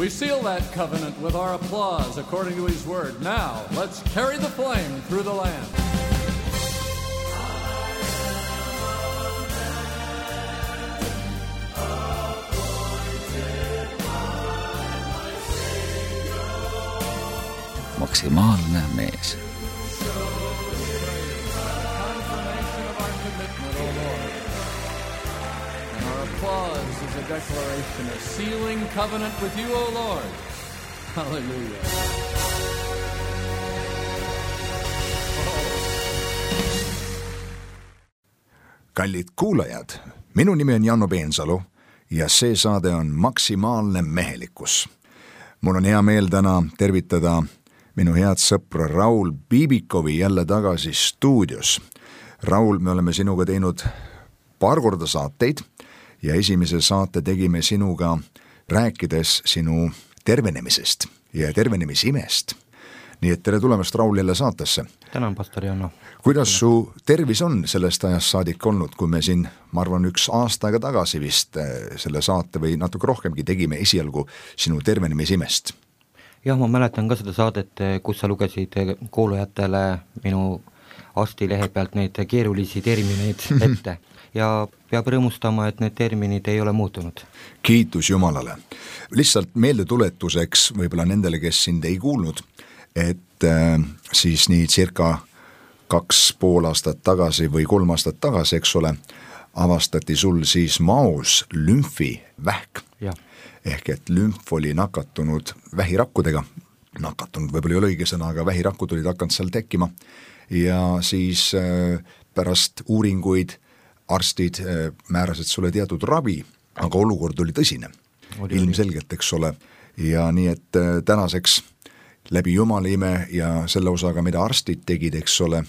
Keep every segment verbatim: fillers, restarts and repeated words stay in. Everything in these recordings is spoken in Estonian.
We seal that covenant with our applause according to his word. Now, let's carry the flame through the land. Maksimaalne mees. Applause is a declaration, a sealing covenant with you, O Lord. Hallelujah. Kallid kuulajad, minu nimi on Janno Peensalu ja see saade on Maksimaalne mehelikkus. Mul on hea meel täna tervitada minu head sõpra Raul Biibikovi jälle tagasi stuudios. Raul, me oleme sinuga teinud paar korda saateid ja esimese saate tegime sinuga rääkides sinu tervenemisest ja tervenemisimest. Nii et tere tulemast Raul jälle saatesse. Tänan, pastor Janno. Kuidas su tervis on sellest ajast saadik olnud, kui me siin, ma arvan, üks aasta aega tagasi vist selle saate või natuke rohkemgi tegime esialgu sinu tervenemisimest? Jah, ma mäletan ka seda saadet, kus sa lugesid kuulajatele minu arstilehe pealt neid keerulisi termineid ette ja peab rõõmustama, et need terminid ei ole muutunud. Kiitus Jumalale. Lihtsalt meeldetuletuseks võib-olla nendele, kes sind ei kuulnud, et äh, siis nii circa kaks pool aastat tagasi või kolm aastat tagasi, eks ole, avastati sul siis maos lümfivähk. Ja. Ehk et lümf oli nakatunud vähirakkudega, nakatunud võib-olla ei ole õige sõna, aga vähirakud olid hakanud seal tekkima ja siis äh, pärast uuringuid arstid äh, määrasid sulle teatud ravi, aga olukord oli tõsine, oli, ilmselgelt, eks ole, ja nii et äh, tänaseks läbi Jumala ime ja selle osaga, mida arstid tegid, eks ole,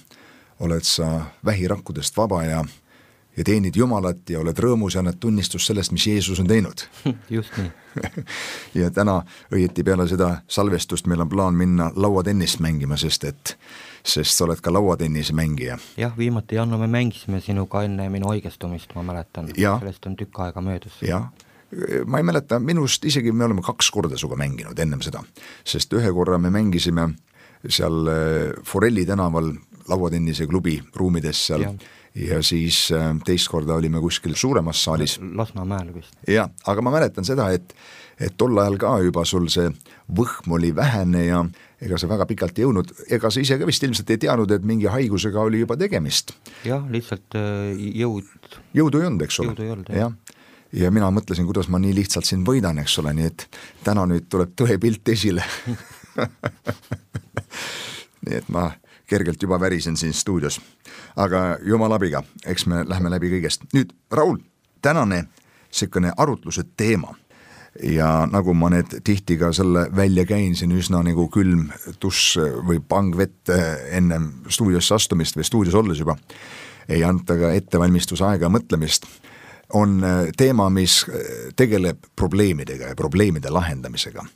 oled sa vähirakkudest vaba ja, ja teenid Jumalat ja oled rõõmus ja annad tunnistust sellest, mis Jeesus on teinud. Just nii. Ja täna õieti peale seda salvestust meil on plaan minna lauatennist mängima, sest et sest sa oled ka lauatennise mängija. Jah, viimati Janno, me mängisime sinuga enne minu haigestumist, ma mäletan. Ja. Sellest on tükk aega möödus. Jah. Ma ei mäleta, minust isegi me oleme kaks korda suga mänginud ennem seda, sest ühe korra me mängisime seal Forelli tänaval lauatennise klubi ruumides seal ja, ja siis teist korda olime kuskil suuremas saalis. Lasnamäel vist. Ja, aga ma mäletan seda, et, et tol ajal ka juba sul see võhm oli vähene ja ega sa väga pikalt ei jõudnud, ega sa ise ka vist ilmselt ei teadnud, et mingi haigusega oli juba tegemist. Jah, lihtsalt jõud. Jõudu ei olnud, eks ole. Jõudu ei olnud, jah. Ja mina mõtlesin, kuidas ma nii lihtsalt siin võidan, eks ole, nii et täna nüüd tuleb tõe pilt esile. Nii et ma kergelt juba värisen siin stuudios. Aga Jumala abiga, eks me lähme läbi kõigest. Nüüd, Raul, tänane selline arutluse teema. Ja nagu ma need tihti ka selle välja käin, siin üsna nagu külm tuss või pangvett enne stuudiosse astumist või stuudios olles juba, ei anta ka ettevalmistus aega mõtlemist, on teema, mis tegeleb probleemidega ja probleemide lahendamisega.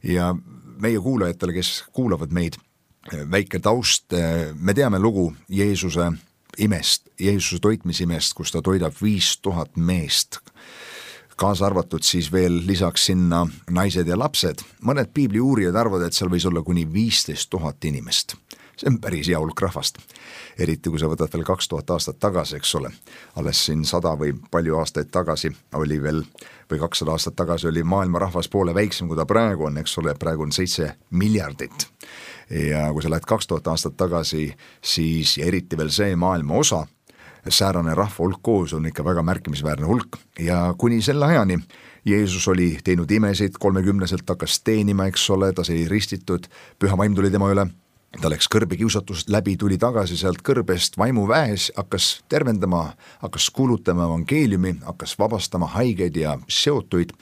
Ja meie kuulajatele, kes kuulavad meid, väike taust, me teame lugu Jeesuse imest, Jeesuse toitmisimest, kus ta toidab viis tuhat meest, kaasa arvatud siis veel lisaks sinna naised ja lapsed. Mõned piibli uurijad arvavad, et seal võis olla kuni viisteist tuhat inimest. See on päris hea hulk rahvast. Eriti kui sa võtad veel kaks tuhat aastat tagasi, eks ole. Alles siin sada või palju aastaid tagasi oli veel, või kakssada aastat tagasi oli maailma rahvas poole väiksem, kui ta praegu on, eks ole, praegu on seitse miljardit. Ja kui sa lähed kaks tuhat aastat tagasi, siis ja eriti veel see maailma osa, säärane rahva hulk koos on ikka väga märkimisväärne hulk. Ja kuni selle ajani Jeesus oli teinud imesid, kolmekümneselt hakkas teenima, eks ole, ta sai ristitud, püha vaim tuli tema üle, ta läks kõrbekiusatust läbi, tuli tagasi sealt kõrbest vaimu väes, hakkas tervendama, hakkas kuulutama evangeeliumi, hakkas vabastama haigeid ja seotuid,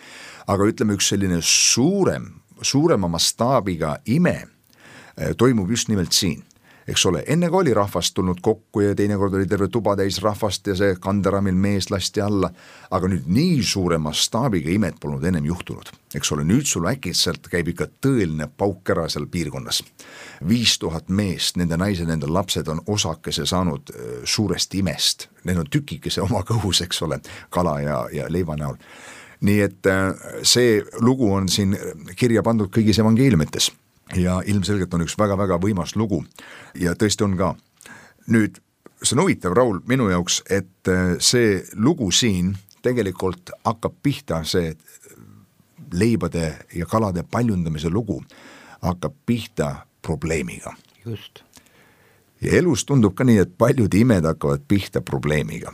aga ütleme üks selline suurem, suurema mastaabiga ime toimub just nimelt siin. Eks ole, enne kui oli rahvast tulnud kokku ja teinekord oli terve tuba täis rahvast ja see kanderamil mees lasti alla, aga nüüd nii suure mastaabiga imet polnud ennem juhtunud. Eks ole, nüüd sul äkitselt käib ikka tõeline pauk ära seal piirkonnas. Viis tuhat meest, nende naised, nende lapsed on osakese saanud suurest imest. Need on tükikese oma kõhus, eks ole, kala ja, ja leiva näol. nii et see lugu on siin kirja pandud kõigis evangeeliumites ja ilmselgelt on üks väga-väga võimas lugu ja tõesti on ka. Nüüd, see on huvitav, Raul, minu jaoks, et see lugu siin tegelikult hakkab pihta, see leibade ja kalade paljundamise lugu hakkab pihta probleemiga. Just. Ja elus tundub ka nii, et paljud imed hakkavad pihta probleemiga.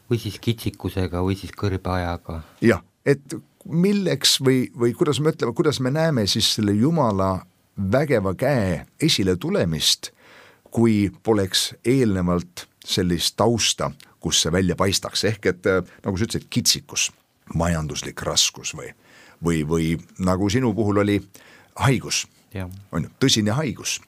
Või siis kitsikusega või siis kõrbeajaga. Jah, et milleks või, või kuidas me ütleme, kuidas me näeme siis selle Jumala vägeva käe esile tulemist, kui poleks eelnevalt sellist tausta, kus see välja paistaks. Ehk et nagu sa ütlesid, kitsikus, majanduslik raskus või, või, või nagu sinu puhul oli haigus, ja. On ju, tõsine haigus.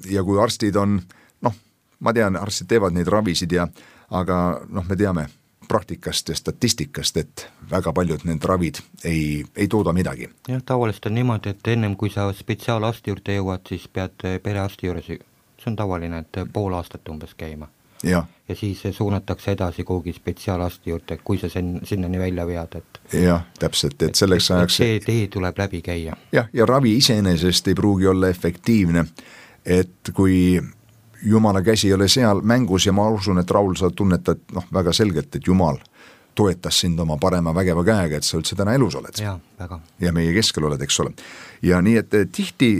Ja kui arstid on, noh, ma tean, arstid teevad neid ravisid ja, aga noh, me teame praktikast ja statistikast, et väga paljud need ravid ei, ei tooda midagi. Jah, tavaliselt on niimoodi, et ennem kui sa spetsiaalasti juurde jõuad, siis pead perearsti juures, see on tavaline, et pool aastat umbes käima. Ja, ja siis suunatakse edasi kuhugi spetsiaalasti juurde, kui sa sen, sinnani välja vead. Et, jah, täpselt, et selleks et, ajaks... see tee tuleb läbi käia. Jah, ja ravi iseenesest ei pruugi olla efektiivne, et kui Jumala käsi ei ole seal mängus ja ma usun, et Raul, sa tunnetad noh, väga selgelt, et Jumal toetas sind oma parema vägeva käega, et sa üldse täna elus oled. Ja, väga. Ja meie keskel oled, eks ole. Ja nii, et tihti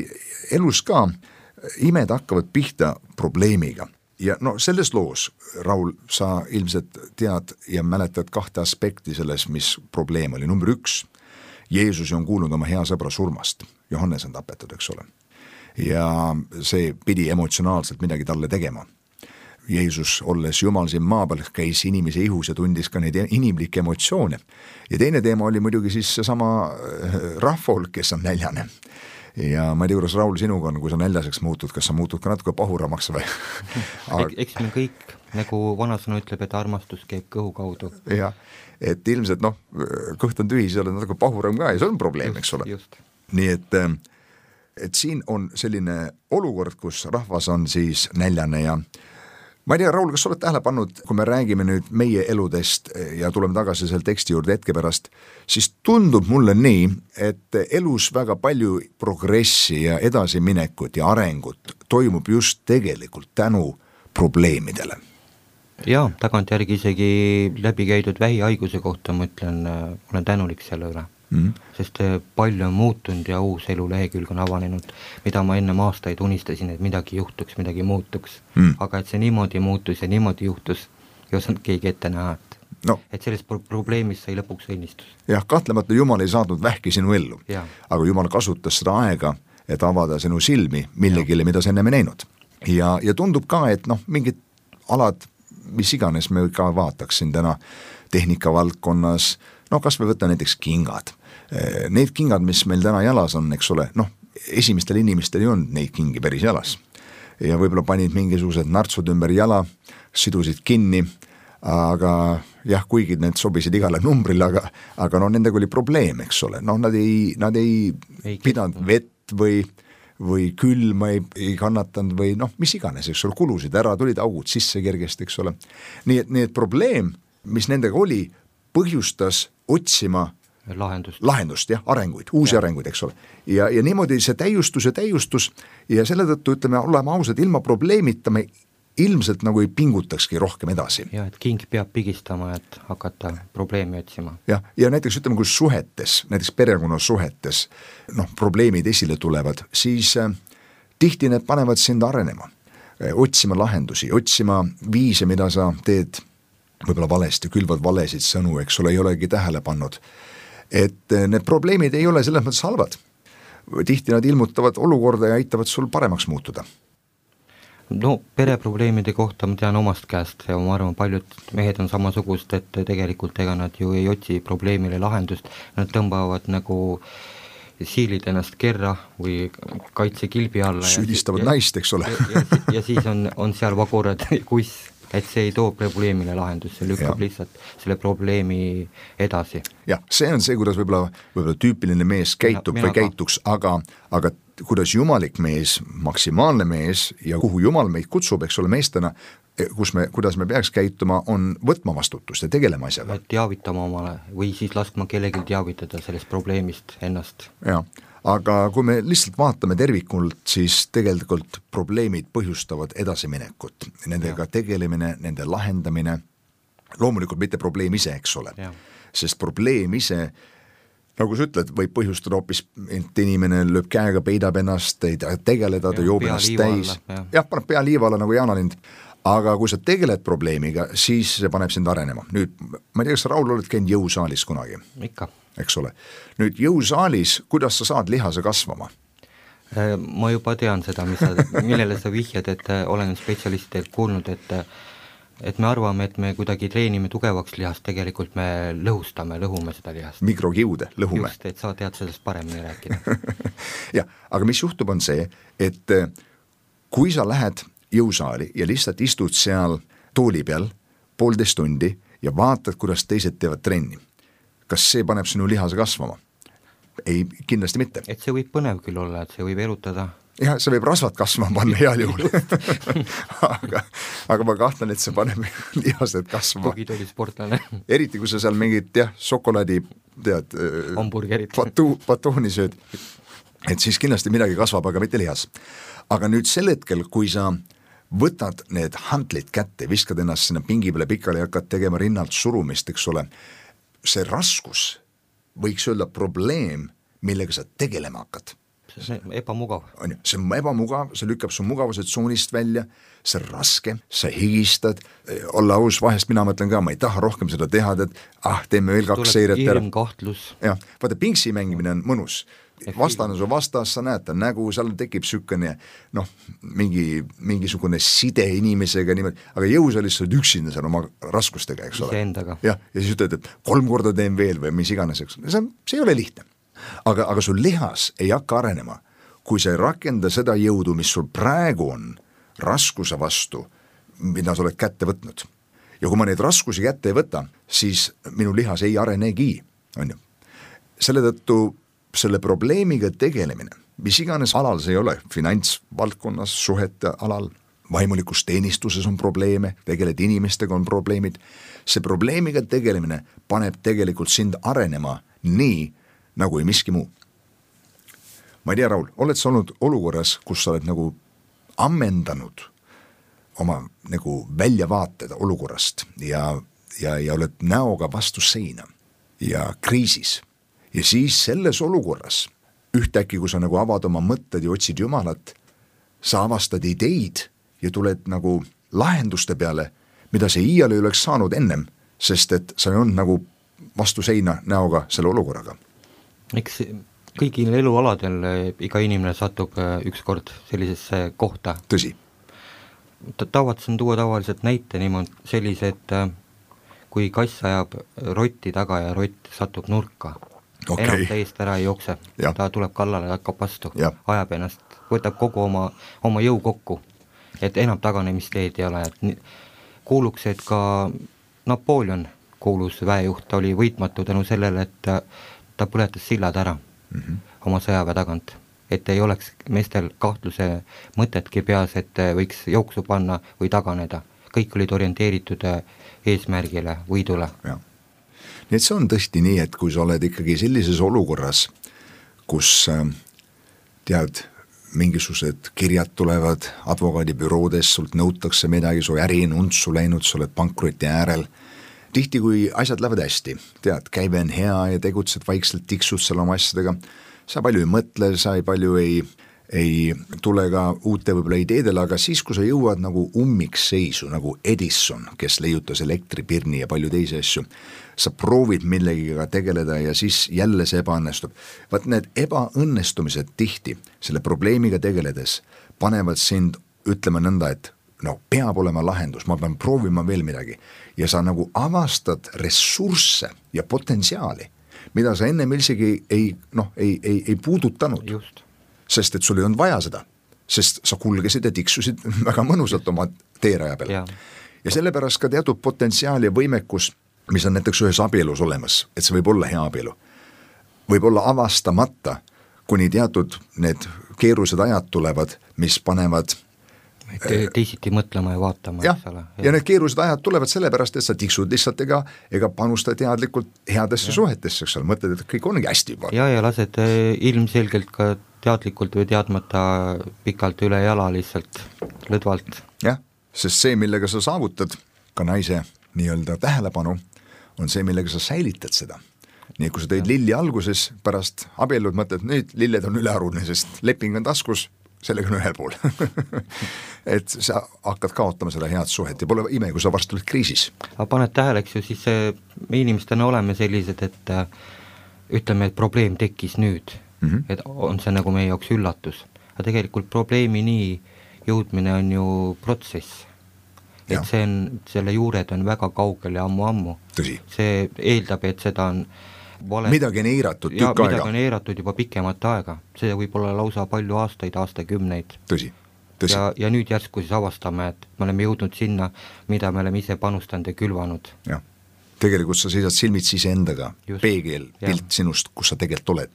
elus ka imed hakkavad pihta probleemiga. Ja no selles loos, Raul, sa ilmselt tead ja mäletad kahte aspekti selles, mis probleem oli. Number üks, Jeesus on kuulnud oma hea sõbra surmast. Johannes on tapetud, eks ole. Ja see pidi emotsionaalselt midagi talle tegema. Jeesus, olles Jumal siin maa peal, käis inimese ihus ja tundis ka neid inimlikke emotsioone. Ja teine teema oli muidugi siis seesama rahvahulk, kes on näljane. Ja ma ei tea, kuidas Raul sinuga on, kui sa näljaseks muutud, kas sa muutud ka natuke pahuramaks või? Aga... Eks me kõik, nagu vanasõna ütleb, et armastus käib kõhu kaudu. Jah, et ilmselt noh, kõht on tühi, see on natuke pahuram ka ja see on probleem, eks ole. Just. Nii et, et siin on selline olukord, kus rahvas on siis näljane ja ma ei tea, Raul, kas sa oled tähele pannud, kui me räägime nüüd meie eludest ja tuleme tagasi selle teksti juurde hetke pärast, siis tundub mulle nii, et elus väga palju progressi ja edasiminekut ja arengut toimub just tegelikult tänu probleemidele. Jaa, tagantjärgi isegi läbi käidud vähihaiguse kohta ma ütlen, olen tänulik selle üle. Mm. Sest palju on muutunud ja uus elu lehekülg on avanenud, mida ma enne aastaid unistasin, et midagi juhtuks, midagi muutuks, mm. aga et see niimoodi muutus ja niimoodi juhtus, ei osanud keegi ette näha, et, no. et sellest pro- probleemist sai lõpuks õnnistus. Jah, kahtlemata Jumal ei saadnud vähki sinu ellu, ja. Aga Jumal kasutas seda aega, et avada sinu silmi millegile, mida sa enne näinud. Ja, ja tundub ka, et noh, mingid alad, mis iganes me ka vaataksin täna tehnika valdkonnas, no kas me võtta näiteks kingad. Need kingad, mis meil täna jalas on, eks ole, noh, esimestel inimestel ei olnud neid kingi päris jalas. Ja võib-olla panid mingisugused nartsud ümber jala, sidusid kinni, aga jah, kuigi need sobisid igale numbrile, aga, aga no nendega oli probleem, eks ole. Noh, nad ei, nad ei, ei pidanud vett või, või külma ei, ei kannatanud või noh, mis iganes, eks ole, kulusid ära, tulid augud sisse kergesti, eks ole. Nii et, nii et probleem, mis nendega oli, põhjustas otsima lahendust, lahendust jah, arenguid, uusi ja. arenguid, eks ole. Ja, ja niimoodi see täiustus ja täiustus ja selle tõttu ütleme, oleme ausad, ilma probleemita me ilmselt nagu ei pingutakski rohkem edasi. Ja, et king peab pigistama, et hakata probleemi otsima. Ja, ja näiteks ütleme, kui suhetes, näiteks perekonna suhetes, noh, probleemid esile tulevad, siis äh, tihti need panevad sind arenema, äh, otsima lahendusi, otsima viise, mida sa teed võib-olla valesti, külvad valesid sõnu, eks ole, ei olegi tähele pannud. Et need probleemid ei ole selles mõttes halvad. Tihti nad ilmutavad olukorda ja aitavad sul paremaks muutuda. No pereprobleemide kohta ma tean omast käest ja ma arvan, paljud mehed on samasugust, et tegelikult ega nad ju ei otsi probleemile lahendust, nad tõmbavad nagu siilid ennast kerra või kaitsekilbi alla. Süüdistavad ja, naist, eks ole. ja, ja, ja siis on, on seal vagurad kuss. Et see ei too probleemile lahendus, see lükkab ja. Lihtsalt selle probleemi edasi. Jah, see on see, kuidas võib-olla, võib-olla tüüpiline mees käitub mina, või käituks, aga, aga kuidas jumalik mees, maksimaalne mees ja kuhu jumal meid kutsub, eks ole meestena, kus me, kuidas me peaks käituma, on võtma vastutust ja tegelema asjaga. Teavitama omale või siis laskma kellelgi teavitada sellest probleemist ennast. Jah, aga kui me lihtsalt vaatame tervikult, siis tegelikult probleemid põhjustavad edasiminekut. Nendega ja. tegelemine, nende lahendamine, loomulikult mitte probleem ise, eks ole. Ja. Sest probleem ise, nagu sa ütled, võib põhjustada hoopis, et inimene lööb käega, peidab ennast, ei tegeleda, ta joob ennast täis. Jah, ja, paneb pea liiva alla nagu jaanalind. Aga kui sa tegeled probleemiga, siis see paneb sind arenema. Nüüd, ma ei tea, kas Raul oled käinud jõusaalis kunagi? Ikka. Eks ole. Nüüd jõusaalis, kuidas sa saad lihase kasvama? Ma juba tean seda, mis sa, millele sa vihjad, et olen spetsialistidelt kuulnud, et et me arvame, et me kuidagi treenime tugevaks lihast, tegelikult me lõhustame, lõhume seda lihast. Mikrokiude, lõhume. Just, et sa tead sellest paremini rääkida. ja, aga mis juhtub on see, et kui sa lähed jõusaali ja lihtsalt istud seal tooli peal poolteist tundi ja vaatad, kuidas teised teevad trenni. Kas see paneb sinu lihase kasvama? Ei, kindlasti mitte. Et see võib põnev küll olla, et see võib erutada. Jah, see võib rasvad kasvama panna heal juhul. aga, aga ma kahtlen, et see paneb lihased kasvama. Tugid oli sportlane. Eriti, kui sa seal mingid, jah, šokolaadi, tead, hamburgerit. Patu, patooni sööd. Et siis kindlasti midagi kasvab, aga mitte lihas. Aga nüüd sel hetkel, kui sa võtad need hantlid kätte, viskad ennast sinna pingi peale pikali ja hakkad tegema rinnalt surumist, eks ole, see raskus võiks öelda probleem, millega sa tegelema hakkad. See on ebamugav. On ju, see on ebamugav, see lükkab su mugavuse tsoonist välja, see on raske, sa higistad, olla aus, vahest mina mõtlen ka, ma ei taha rohkem seda teha, et ah, teeme veel kaks seiret. Tuleb kiirem kahtlus. Jah, vaata, pingsi mängimine on mõnus. Vastane su vastas, sa näed ta nägu, seal tekib sükene, noh, mingi, mingisugune side inimesega niimoodi, aga jõusaalis sa oled üksinda seal oma raskustega, eks ole. Iseendaga. Ja, ja siis ütled, et kolm korda teen veel või mis iganes, eks. See, see ei ole lihtne. Aga, aga sul lihas ei hakka arenema, kui sa ei rakenda seda jõudu, mis sul praegu on raskuse vastu, mida sa oled kätte võtnud. Ja kui ma neid raskusi kätte ei võta, siis minu lihas ei arenegi, on ju. Selle tõttu selle probleemiga tegelemine, mis iganes alal see ei ole, finantsvaldkonnas, suhete alal, vaimulikus teenistuses on probleeme, tegeled inimestega on probleemid, see probleemiga tegelemine paneb tegelikult sind arenema nii, nagu ei miski muu. Ma ei tea, Raul, oled sa olnud olukorras, kus sa oled nagu ammendanud oma nagu väljavaated olukorrast ja, ja, ja oled näoga vastu seina ja kriisis. Ja siis selles olukorras, ühtäkki, kui sa nagu avad oma mõtted ja otsid Jumalat, sa avastad ideid ja tuled nagu lahenduste peale, mida see iial ei oleks saanud ennem, sest et sa ei olnud nagu vastu seina näoga selle olukorraga. Eks kõigil elualadel iga inimene satub ükskord sellisesse kohta. Tõsi. Tavatsen tuua tavaliselt näite niimoodi sellise, et kui kass ajab rotti taga ja rott satub nurka, okay. Enam täiesti ära ei jookse, ja. Ta tuleb kallale, hakkab vastu, ja. Ajab ennast, võtab kogu oma, oma jõu kokku, et enam taganemisteed ei ole, et kuuluks, et ka Napoleon kuulus väejuht, ta oli võitmatu tänu sellele, et ta, ta põletas sillad ära mm -hmm. oma sõjaväe tagant, et ei oleks meestel kahtluse mõtetki peas, et võiks jooksu panna või taganeda, kõik olid orienteeritud eesmärgile, võidule. Ja. Nii et see on tõesti nii, et kui sa oled ikkagi sellises olukorras, kus tead, mingisugused kirjad tulevad advokaadibüroodes, sult nõutakse midagi, su äri on untsu läinud, sa oled pankroti äärel. Tihti, kui asjad lähevad hästi, tead, käive on hea ja tegutsed vaikselt, tiksud seal oma asjadega, sa palju ei mõtle, sa ei palju ei, ei tule ka uute võib-olla ideedele, aga siis, kui sa jõuad nagu ummikseisu, nagu Edison, kes leiutas elektripirni ja palju teisi asju, sa proovid millegiga tegeleda ja siis jälle see ebaõnnestub. Vaat need ebaõnnestumised tihti selle probleemiga tegeledes panevad sind ütlema nõnda, et no peab olema lahendus, ma pean proovima veel midagi ja sa nagu avastad ressursse ja potentsiaali, mida sa ennem isegi ei, noh, ei, ei, ei puudutanud. Just. Sest et sul ei olnud vaja seda, sest sa kulgesid ja tiksusid väga mõnusalt oma teeraja peal. Ja. ja sellepärast ka teatud potentsiaal ja võimekus, mis on näiteks ühes abielus olemas, et see võib olla hea abielu, võib olla avastamata, kuni teatud need keerulised ajad tulevad, mis panevad Te, teisiti mõtlema ja vaatama, ja, eks ole. ja need keerulised ajad tulevad sellepärast, et sa tiksud lihtsalt ega, ega panusta teadlikult headesse ja. suhetesse, eks ole, mõtled, et kõik ongi hästi juba. Ja, ja lased ilmselgelt ka teadlikult või teadmata pikalt üle jala lihtsalt lõdvalt. jah, sest see, millega sa saavutad ka naise nii-öelda tähelepanu, on see, millega sa säilitad seda. Nii, kui sa tõid lilli alguses, pärast abiellud mõtled, nüüd lilled on ülearune, sest leping on taskus, sellega on ühel pool et sa hakkad kaotama seda head suhet ja pole ime, kui sa varsti oled kriisis. Aga paned tähele, eks ju, siis me inimestena oleme sellised, et ütleme, et probleem tekkis nüüd mm, -hmm. et on see nagu meie jaoks üllatus. Aga tegelikult probleemini jõudmine on ju protsess. Et ja. see on, selle juured on väga kaugel ja ammu-ammu. Tõsi. See eeldab, et seda on vale... midagi on eiratud tükk aega. Midagi on eiratud juba pikemat aega, see võib olla lausa palju aastaid, aastakümneid. Tõsi, tõsi. Ja, ja nüüd järsku siis avastame, et me oleme jõudnud sinna, mida me oleme ise panustanud ja külvanud. Jah, tegelikult sa seisad silmitsi ise endaga, peegel, pilt ja. sinust, kus sa tegelikult oled.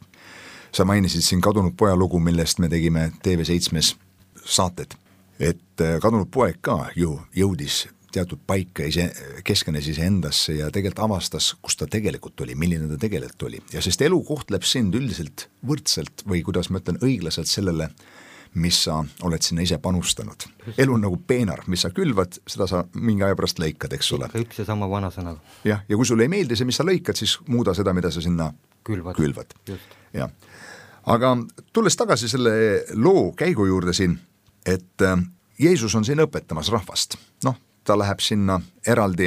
Sa mainisid siin Kadunud poja lugu, millest me tegime T V seitsmes saated, et kadunud poeg ka ju jõudis teatud paika, ise, keskenes ise endasse ja tegelikult avastas, kus ta tegelikult oli, milline ta tegelikult oli. Ja sest elu kohtleb sind üldiselt võrdselt või kuidas ma ütlen, õiglaselt sellele, mis sa oled sinna ise panustanud. Elu on nagu peenar, mis sa külvad, seda sa mingi aja pärast lõikad, eks ole. Ikka üks ja sama vana sõna. Jah, ja kui sulle ei meeldi see, mis sa lõikad, siis muuda seda, mida sa sinna külvad. külvad. Ja. Aga tulles tagasi selle loo käigu juurde siin, et Jeesus on siin õpetamas rahvast. Noh, ta läheb sinna eraldi,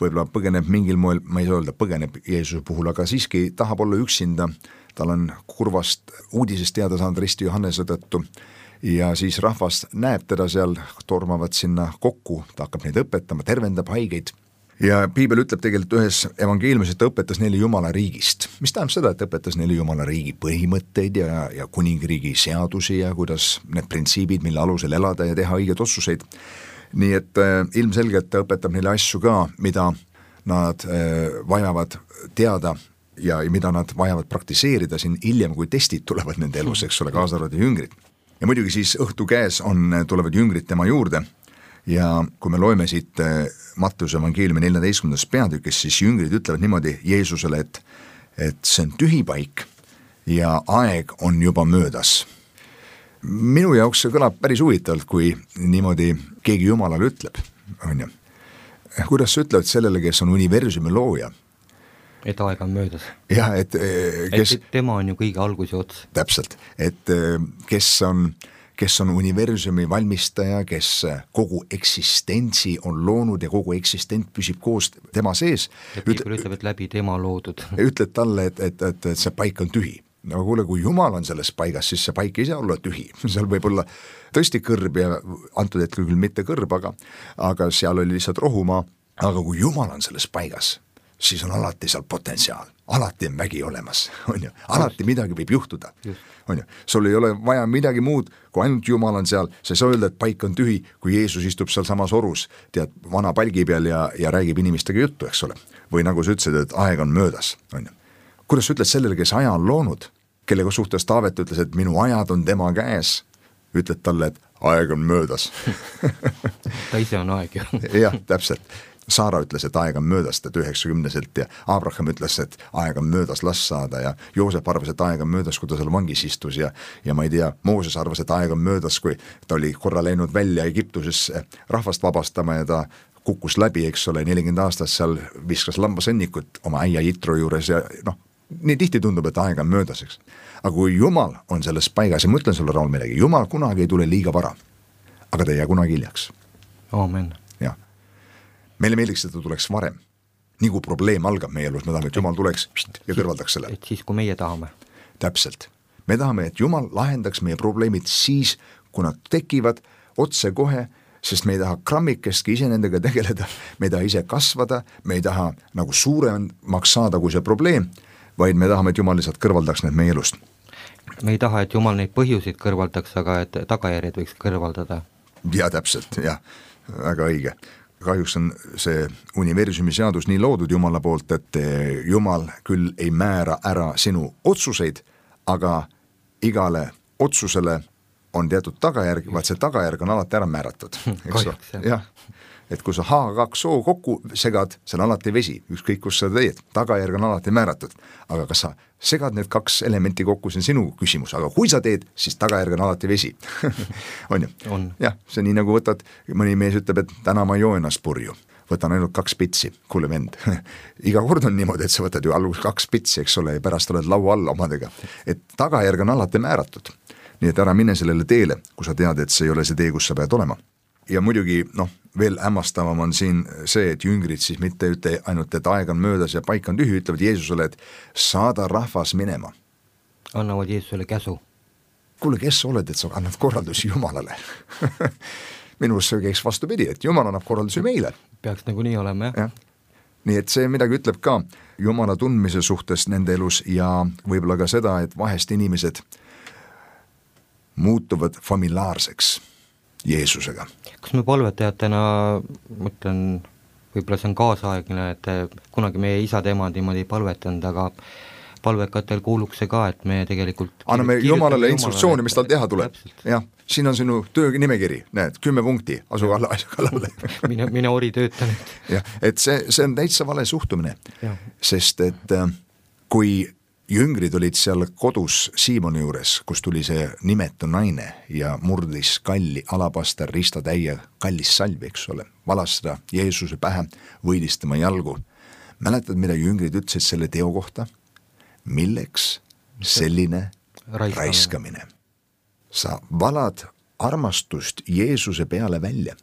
võib-olla põgeneb mingil moel, ma ei saa öelda põgeneb Jeesuse puhul, aga siiski tahab olla üksinda, tal on kurvast uudisest teada saanud risti Johannese tõttu ja siis rahvas näeb teda seal, tormavad sinna kokku, ta hakkab neid õpetama, tervendab haigeid ja piibel ütleb tegelikult ühes evangeeliumis, et ta õpetas neile Jumala riigist, mis tähendab seda, et õpetas neile Jumala riigi põhimõtteid ja, ja kuningriigi seadusi ja kuidas need printsiibid, mille alusel elada ja teha õigeid otsuseid. Nii et äh, ilmselgelt ta õpetab neile asju ka, mida nad äh, vajavad teada ja, ja mida nad vajavad praktiseerida siin hiljem, kui testid tulevad nende elus, eks ole, kaasa arvatud jüngrid. Ja muidugi siis õhtu käes on, tulevad jüngrid tema juurde ja kui me loeme siit äh, Matteuse evangeeliumi neljateistkümnendas peatükis, siis jüngrid ütlevad niimoodi Jeesusele, et, et see on tühi paik ja aeg on juba möödas. Minu jaoks see kõlab päris huvitavalt, kui niimoodi keegi Jumalale ütleb, on ju. Kuidas sa ütlevad sellele, kes on universumi looja? Et aeg on möödas. Jah, et, kes, et tema on ju kõige algus ja ots. Täpselt, et kes on, kes on universumi valmistaja, kes kogu eksistentsi on loonud ja kogu eksistent püsib koos tema sees. Ja piibel ütleb, et läbi tema loodud. Ütled talle, et, et, et, et see paik on tühi. No kuule, kui Jumal on selles paigas, siis see paik ei saa olla tühi. Seal võib olla tõesti kõrb ja antud hetkel küll mitte kõrb, aga, aga seal oli lihtsalt rohumaa. Aga kui Jumal on selles paigas, siis on alati seal potentsiaal. Alati on vägi olemas, on ju. Alati midagi võib juhtuda, on ju. Sul ei ole vaja midagi muud, kui ainult Jumal on seal. Sa ei saa öelda, et paik on tühi, kui Jeesus istub seal samas orus, tead, vana palgi peal ja, ja räägib inimestega juttu, eks ole. Või nagu sa ütlesid, et aeg on möödas, on ju. Kuidas sa ütled sellele, kes aja on loonud, kellega suhtes Taavet ütles, et minu ajad on tema käes, ütled talle, et aeg on möödas. Ta ise on aeg ju. Jah, täpselt. Saara ütles, et aeg on möödas, et üheksakümneselt ja Abraham ütles, et aeg on möödas last saada ja Joosep arvas, et aeg on möödas, kui ta seal vangis istus ja, ja ma ei tea, Mooses arvas, et aeg on möödas, kui ta oli korra läinud välja Egiptusesse rahvast vabastama ja ta kukkus läbi, eks ole, nelikümmend aastat seal viskas lambasõnnikut oma äia Jitro juures ja noh, nii tihti tundub, et aeg on möödas, eks. Aga kui Jumal on selles paigas ja ma ütlen sulle, Raul, midagi, Jumal kunagi ei tule liiga vara, aga ta ei jää kunagi hiljaks. Amen. Jah. Meile meeldiks, et ta tuleks varem. Nii kui probleem algab meie elus, me tahame, et Jumal tuleks ja kõrvaldaks selle. Et siis, kui meie tahame. Täpselt. Me tahame, et Jumal lahendaks meie probleemid siis, kui nad tekivad otse kohe, sest me ei taha krammikestki ise nendega tegeleda, me ei taha ise kasvada, me ei taha nagu suuremaks saada kui see probleem, vaid me tahame, et Jumal lihtsalt kõrvaldaks need meie elust. Me ei taha, et Jumal neid põhjusid kõrvaldaks, aga et tagajärjed võiks kõrvaldada. Ja täpselt, jah, väga õige. Kahjuks on see universumi seadus nii loodud Jumala poolt, et Jumal küll ei määra ära sinu otsuseid, aga igale otsusele on teatud tagajärg, vaat see tagajärg on alati ära määratud, eks ole, jah, et kui sa H kaks O kokku segad, see on alati vesi, ükskõik kus sa teed, tagajärg on alati määratud, aga kas sa segad need kaks elementi kokku, see on sinu küsimus, aga kui sa teed, siis tagajärg on alati vesi on ju? jah, see on nii nagu võtad, mõni mees ütleb, et täna ma ei joo ennast purju, võtan ainult kaks pitsi, kuule vend iga kord on niimoodi, et sa võtad ju alguses kaks pitsi, eks ole, ja pärast oled laua all omadega, et tagajärg on alati määratud, nii et ära mine sellele teele, kui sa tead, et see ei ole see tee, kus sa pead olema. Ja muidugi, noh, veel hämmastavam on siin see, et jüngrid siis mitte ütle ainult, et aeg on möödas ja paik on tühi, ütlevad Jeesusele, et saada rahvas minema. Annavad Jeesusele käsu. Kuule, kes sa oled, et sa annad korraldusi Jumalale? Minus see käiks vastupidi, et Jumal annab korraldusi meile. Peaks nagu nii olema, jah. Ja. Nii et see midagi ütleb ka Jumala tundmise suhtes nende elus ja võib-olla ka seda, et vahest inimesed muutuvad familiaarseks Jeesusega. Kas me palvetajatena, mõtlen, võib-olla see on kaasaegne, et kunagi meie isad emad niimoodi ei palvetanud, aga palvekatel kuuluks see ka, et me tegelikult anname Jumalale instruktsiooni, mis tal teha tuleb. Jah, siin on sinu töönimekiri, näed, kümme punkti, asu kallale. mine, mine ori töötanud. jah, et see, see on täitsa vale suhtumine, ja. Sest et kui jüngrid olid seal kodus Siimoni juures, kus tuli see nimetu naine ja murdis kalli alapaster ristatäie kallis salvi, eks ole, valas seda Jeesuse pähe, võidis tema jalgu. Mäletad, mida jüngrid ütlesid selle teo kohta? Milleks selline raiskamine? raiskamine? Sa valad armastust Jeesuse peale välja.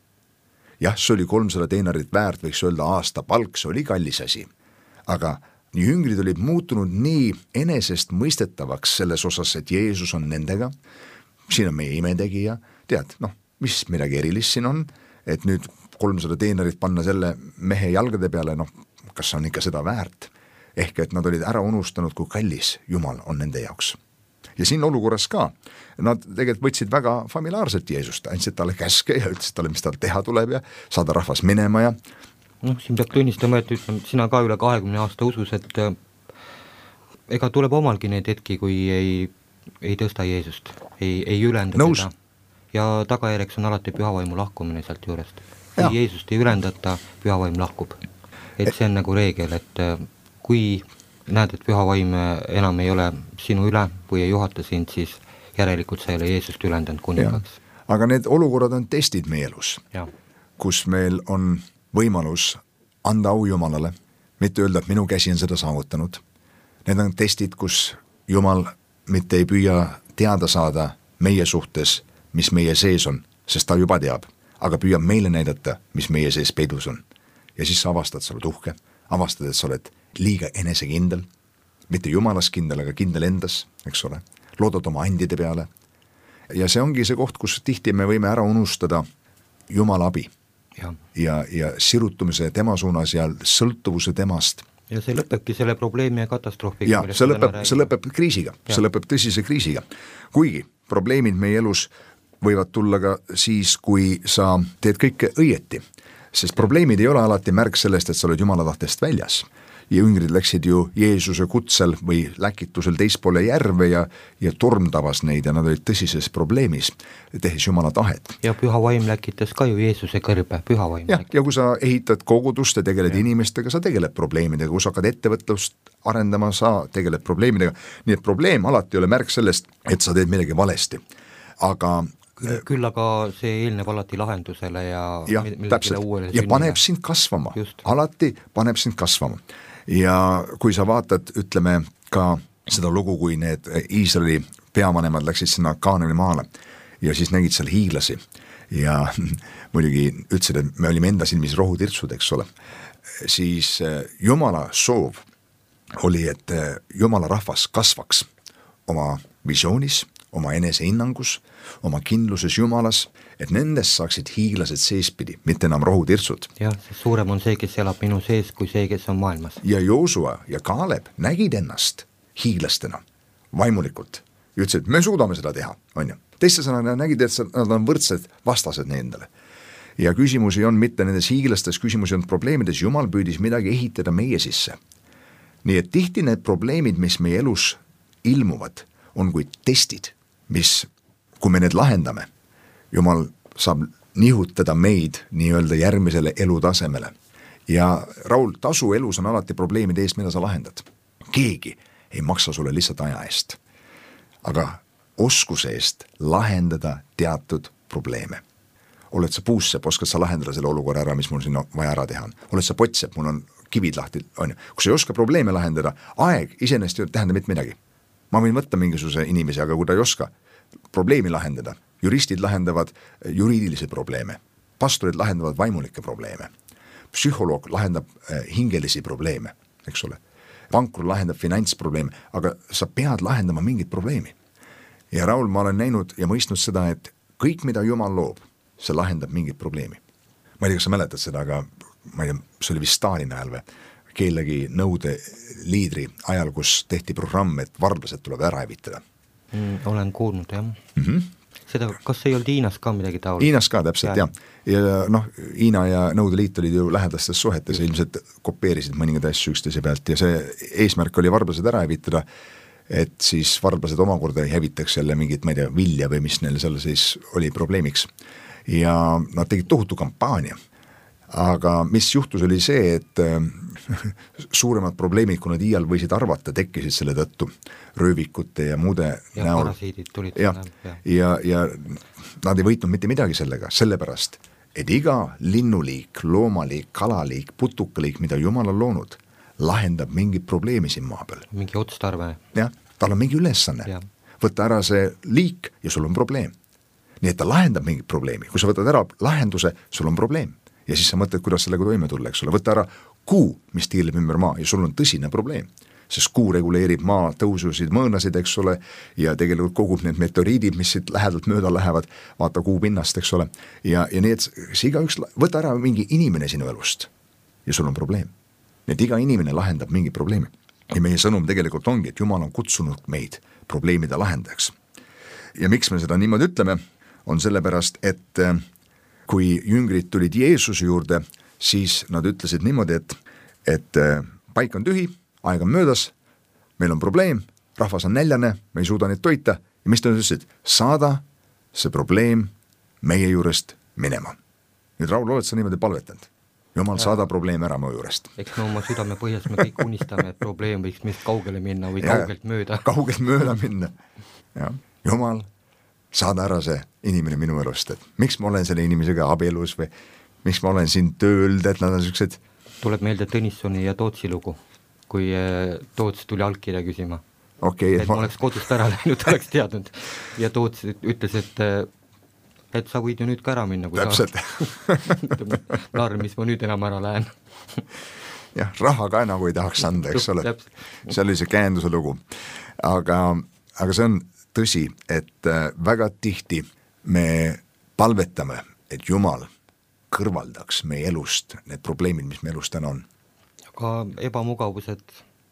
Jah, see oli kolmsada teinarit väärt, võiks öelda aasta palk, see oli kallis asi, aga jüngrid olid muutunud nii enesest mõistetavaks selles osas, et Jeesus on nendega, siin on meie imetegija, tead, noh, mis midagi erilist siin on, et nüüd kolmsada teinarit panna selle mehe jalgade peale, noh, kas on ikka seda väärt? Ehk et nad olid ära unustanud, kui kallis Jumal on nende jaoks. Ja siin olukorras ka, nad tegelikult võtsid väga familiaarselt Jeesust, andsid talle käske ja ütlesid talle, mis tal teha tuleb ja saada rahvas minema ja noh, siin peab tunnistama, et ütlem, sina ka üle kahekümne aasta usus, et äh, ega tuleb omalgi neid hetki, kui ei, ei tõsta Jeesust, ei, ei ülenda Nõus. Teda ja tagajärjeks on alati pühavaimu lahkumine sealt juurest. Kui ja. Jeesust ei ülendata, pühavaim lahkub. Et see on nagu reegel, et äh, kui näed, et pühavaim enam ei ole sinu üle või ei juhata sind, siis järelikult sa ei ole Jeesust ülendanud kuningaks. Aga need olukorrad on testid meie elus, ja. Kus meil on võimalus anda au Jumalale, mitte öelda, et minu käsi on seda saavutanud. Need on testid, kus Jumal mitte ei püüa teada saada meie suhtes, mis meie sees on, sest ta juba teab, aga püüab meile näidata, mis meie sees peidus on. Ja siis sa avastad, sa oled uhke, avastad, et sa oled liiga enesekindel, mitte Jumalas kindel, aga kindel endas, eks ole, loodad oma andide peale. Ja see ongi see koht, kus tihti me võime ära unustada Jumala abi. Ja. Ja, ja sirutumise tema suunas ja sõltuvuse temast. Ja see lõpebki selle probleemi ja katastroofiga. Ja, see lõpeb, see lõpeb kriisiga, ja. See lõpeb tõsise kriisiga. Kuigi probleemid meie elus võivad tulla ka siis, kui sa teed kõike õieti, sest probleemid ei ole alati märk sellest, et sa oled Jumala tahtest väljas. Ja jüngrid läksid ju Jeesuse kutsel või läkitusel teispoole järve ja, ja torm tabas neid ja nad olid tõsises probleemis, tehes Jumala tahet. Ja pühavaim läkitas ka ju Jeesuse kõrbe, pühavaim. Ja, ja kui sa ehitad kogudust ja tegeled ja. Inimestega, sa tegeled probleemidega, kui sa hakkad ettevõtlust arendama, sa tegeled probleemidega, nii et probleem alati ei ole märk sellest, et sa teed midagi valesti. Aga küll, küll aga see eelneb alati lahendusele ja ja, täpselt, ja paneb sind kasvama, Just. alati paneb sind kasvama. Ja kui sa vaatad, ütleme ka seda lugu, kui need Iisraeli peavanemad läksid sinna Kaanani maale ja siis nägid seal hiiglasi ja muidugi ütlesid, et me olime enda silmis rohutirtsud, eks ole, siis Jumala soov oli, et Jumala rahvas kasvaks oma visioonis, oma enesehinnangus, oma kindluses Jumalas, et nendest saaksid hiiglased seespidi, mitte enam rohutirtsud. Jah, suurem on see, kes elab minu sees, kui see, kes on maailmas. Ja Joosua ja Kaaleb nägid ennast hiiglastena, vaimulikult. Ütlesid, me suudame seda teha, on ju. Teiste sõnana nägid, et nad on võrdsed vastased nendele. Ja küsimusi on mitte nendes hiiglastes, küsimusi on probleemides, Jumal püüdis midagi ehitada meie sisse. Nii et tihti need probleemid, mis meie elus ilmuvad, on kui testid, mis, kui me need lahendame, Jumal saab nihutada meid nii-öelda järgmisele elutasemele. Ja Raul, tasu elus on alati probleemide eest, mida sa lahendad. Keegi ei maksa sulle lihtsalt aja eest, aga oskuse eest lahendada teatud probleeme. Oled sa puussepp, oskad sa lahendada selle olukorra ära, mis mul siin vaja ära teha on. Oled sa potsepp, mul on kivid lahti, on ju. Kui sa ei oska probleeme lahendada, aeg iseenesest ei tähenda mitte midagi. Ma võin võtta mingisuguse inimese, aga kui ta ei oska probleemi lahendada, juristid lahendavad juriidilisi probleeme, pastorid lahendavad vaimulikke probleeme, psühholoog lahendab hingelisi probleeme, eks ole. Pankur lahendab finantsprobleeme, aga sa pead lahendama mingit probleemi. Ja Raul, ma olen näinud ja mõistnud seda, et kõik, mida Jumal loob, see lahendab mingit probleemi. Ma ei tea, kas sa mäletad seda, aga ma ei tea, see oli vist Stalini ajal või kellegi nõude liidri ajal, kus tehti programm, et varblased tuleb ära hävitada. Mm, olen kuulnud, jah. Mm-hmm. Seda, kas ei olnud Hiinas ka midagi taolist? Hiinas ka, täpselt, jah. Ja noh, Hiina ja Nõukogude Liit olid ju lähedastes suhetes ja ilmselt kopeerisid mõningad asju üksteise pealt ja see eesmärk oli varblased ära hävitada, et siis varblased omakorda ei hävitaks jälle mingit, ma ei tea, vilja või mis neil seal siis oli probleemiks. Ja nad tegid tohutu kampaania. Aga mis juhtus oli see, et suuremad probleemid, kui nad iial võisid arvata, tekkisid selle tõttu röövikute ja muude ja näol. Parasiidid tulid ja, ja. ja, ja nad ei võitnud mitte midagi sellega, sellepärast, et iga linnuliik, loomaliik, kalaliik, putukaliik, mida Jumal on loonud, lahendab mingit probleemi siin maa peal. Mingi otstarve. Jah, tal on mingi ülesanne. Ja. Võtta ära see liik ja sul on probleem. Nii et ta lahendab mingit probleemi. Kui sa võtad ära lahenduse, sul on probleem. Ja siis sa mõtled, kuidas sellega toime tulla, eks ole. Võtta ära kuu, mis tiirleb ümber maa ja sul on tõsine probleem. Sest kuu reguleerib maa tõususid, mõõnasid, eks ole, ja tegelikult kogub need meteoriidid, mis siit lähedalt mööda lähevad, vaata kuu pinnast, eks ole. Ja, ja nii, et see igaüks, võta ära mingi inimene sinu elust ja sul on probleem. Nii et iga inimene lahendab mingi probleemi. Ja meie sõnum tegelikult ongi, et Jumal on kutsunud meid probleemide lahendajaks. Ja miks me seda niimoodi ütleme, on sellepärast, et kui jüngrid tulid Jeesuse juurde, siis nad ütlesid niimoodi, et, et paik on tühi, aeg on möödas, meil on probleem, rahvas on näljane, me ei suuda neid toita ja mis ta ütlesid? Saada see probleem meie juurest minema. Nüüd Raul, oled sa niimoodi palvetanud? Jumal, saada probleem ära mu juurest. Eks me oma südame põhjas me kõik unistame, et probleem võiks meist kaugele minna või ja, kaugelt mööda. Kaugelt mööda minna. Ja. Jumal, saada ära see inimene minu elust, et miks ma olen selle inimesega abielus või miks ma olen siin tööld, et nad on sellised. Tuleb meelde Tõnissoni ja Tootsi lugu, kui Toots tuli allkirja küsima. Okay, et ma oleks kodust ära läinud, oleks teadnud. Ja Toots ütles, et, et sa võid ju nüüd ka ära minna. Kui täpselt. Narr, mis ma nüüd enam ära lähen. jah, raha ka nagu ei tahaks anda, eks ole. See oli see käenduse lugu. Aga, aga see on tõsi, et väga tihti me palvetame, et Jumal kõrvaldaks meie elust need probleemid, mis meie elust täna on. Aga ebamugavused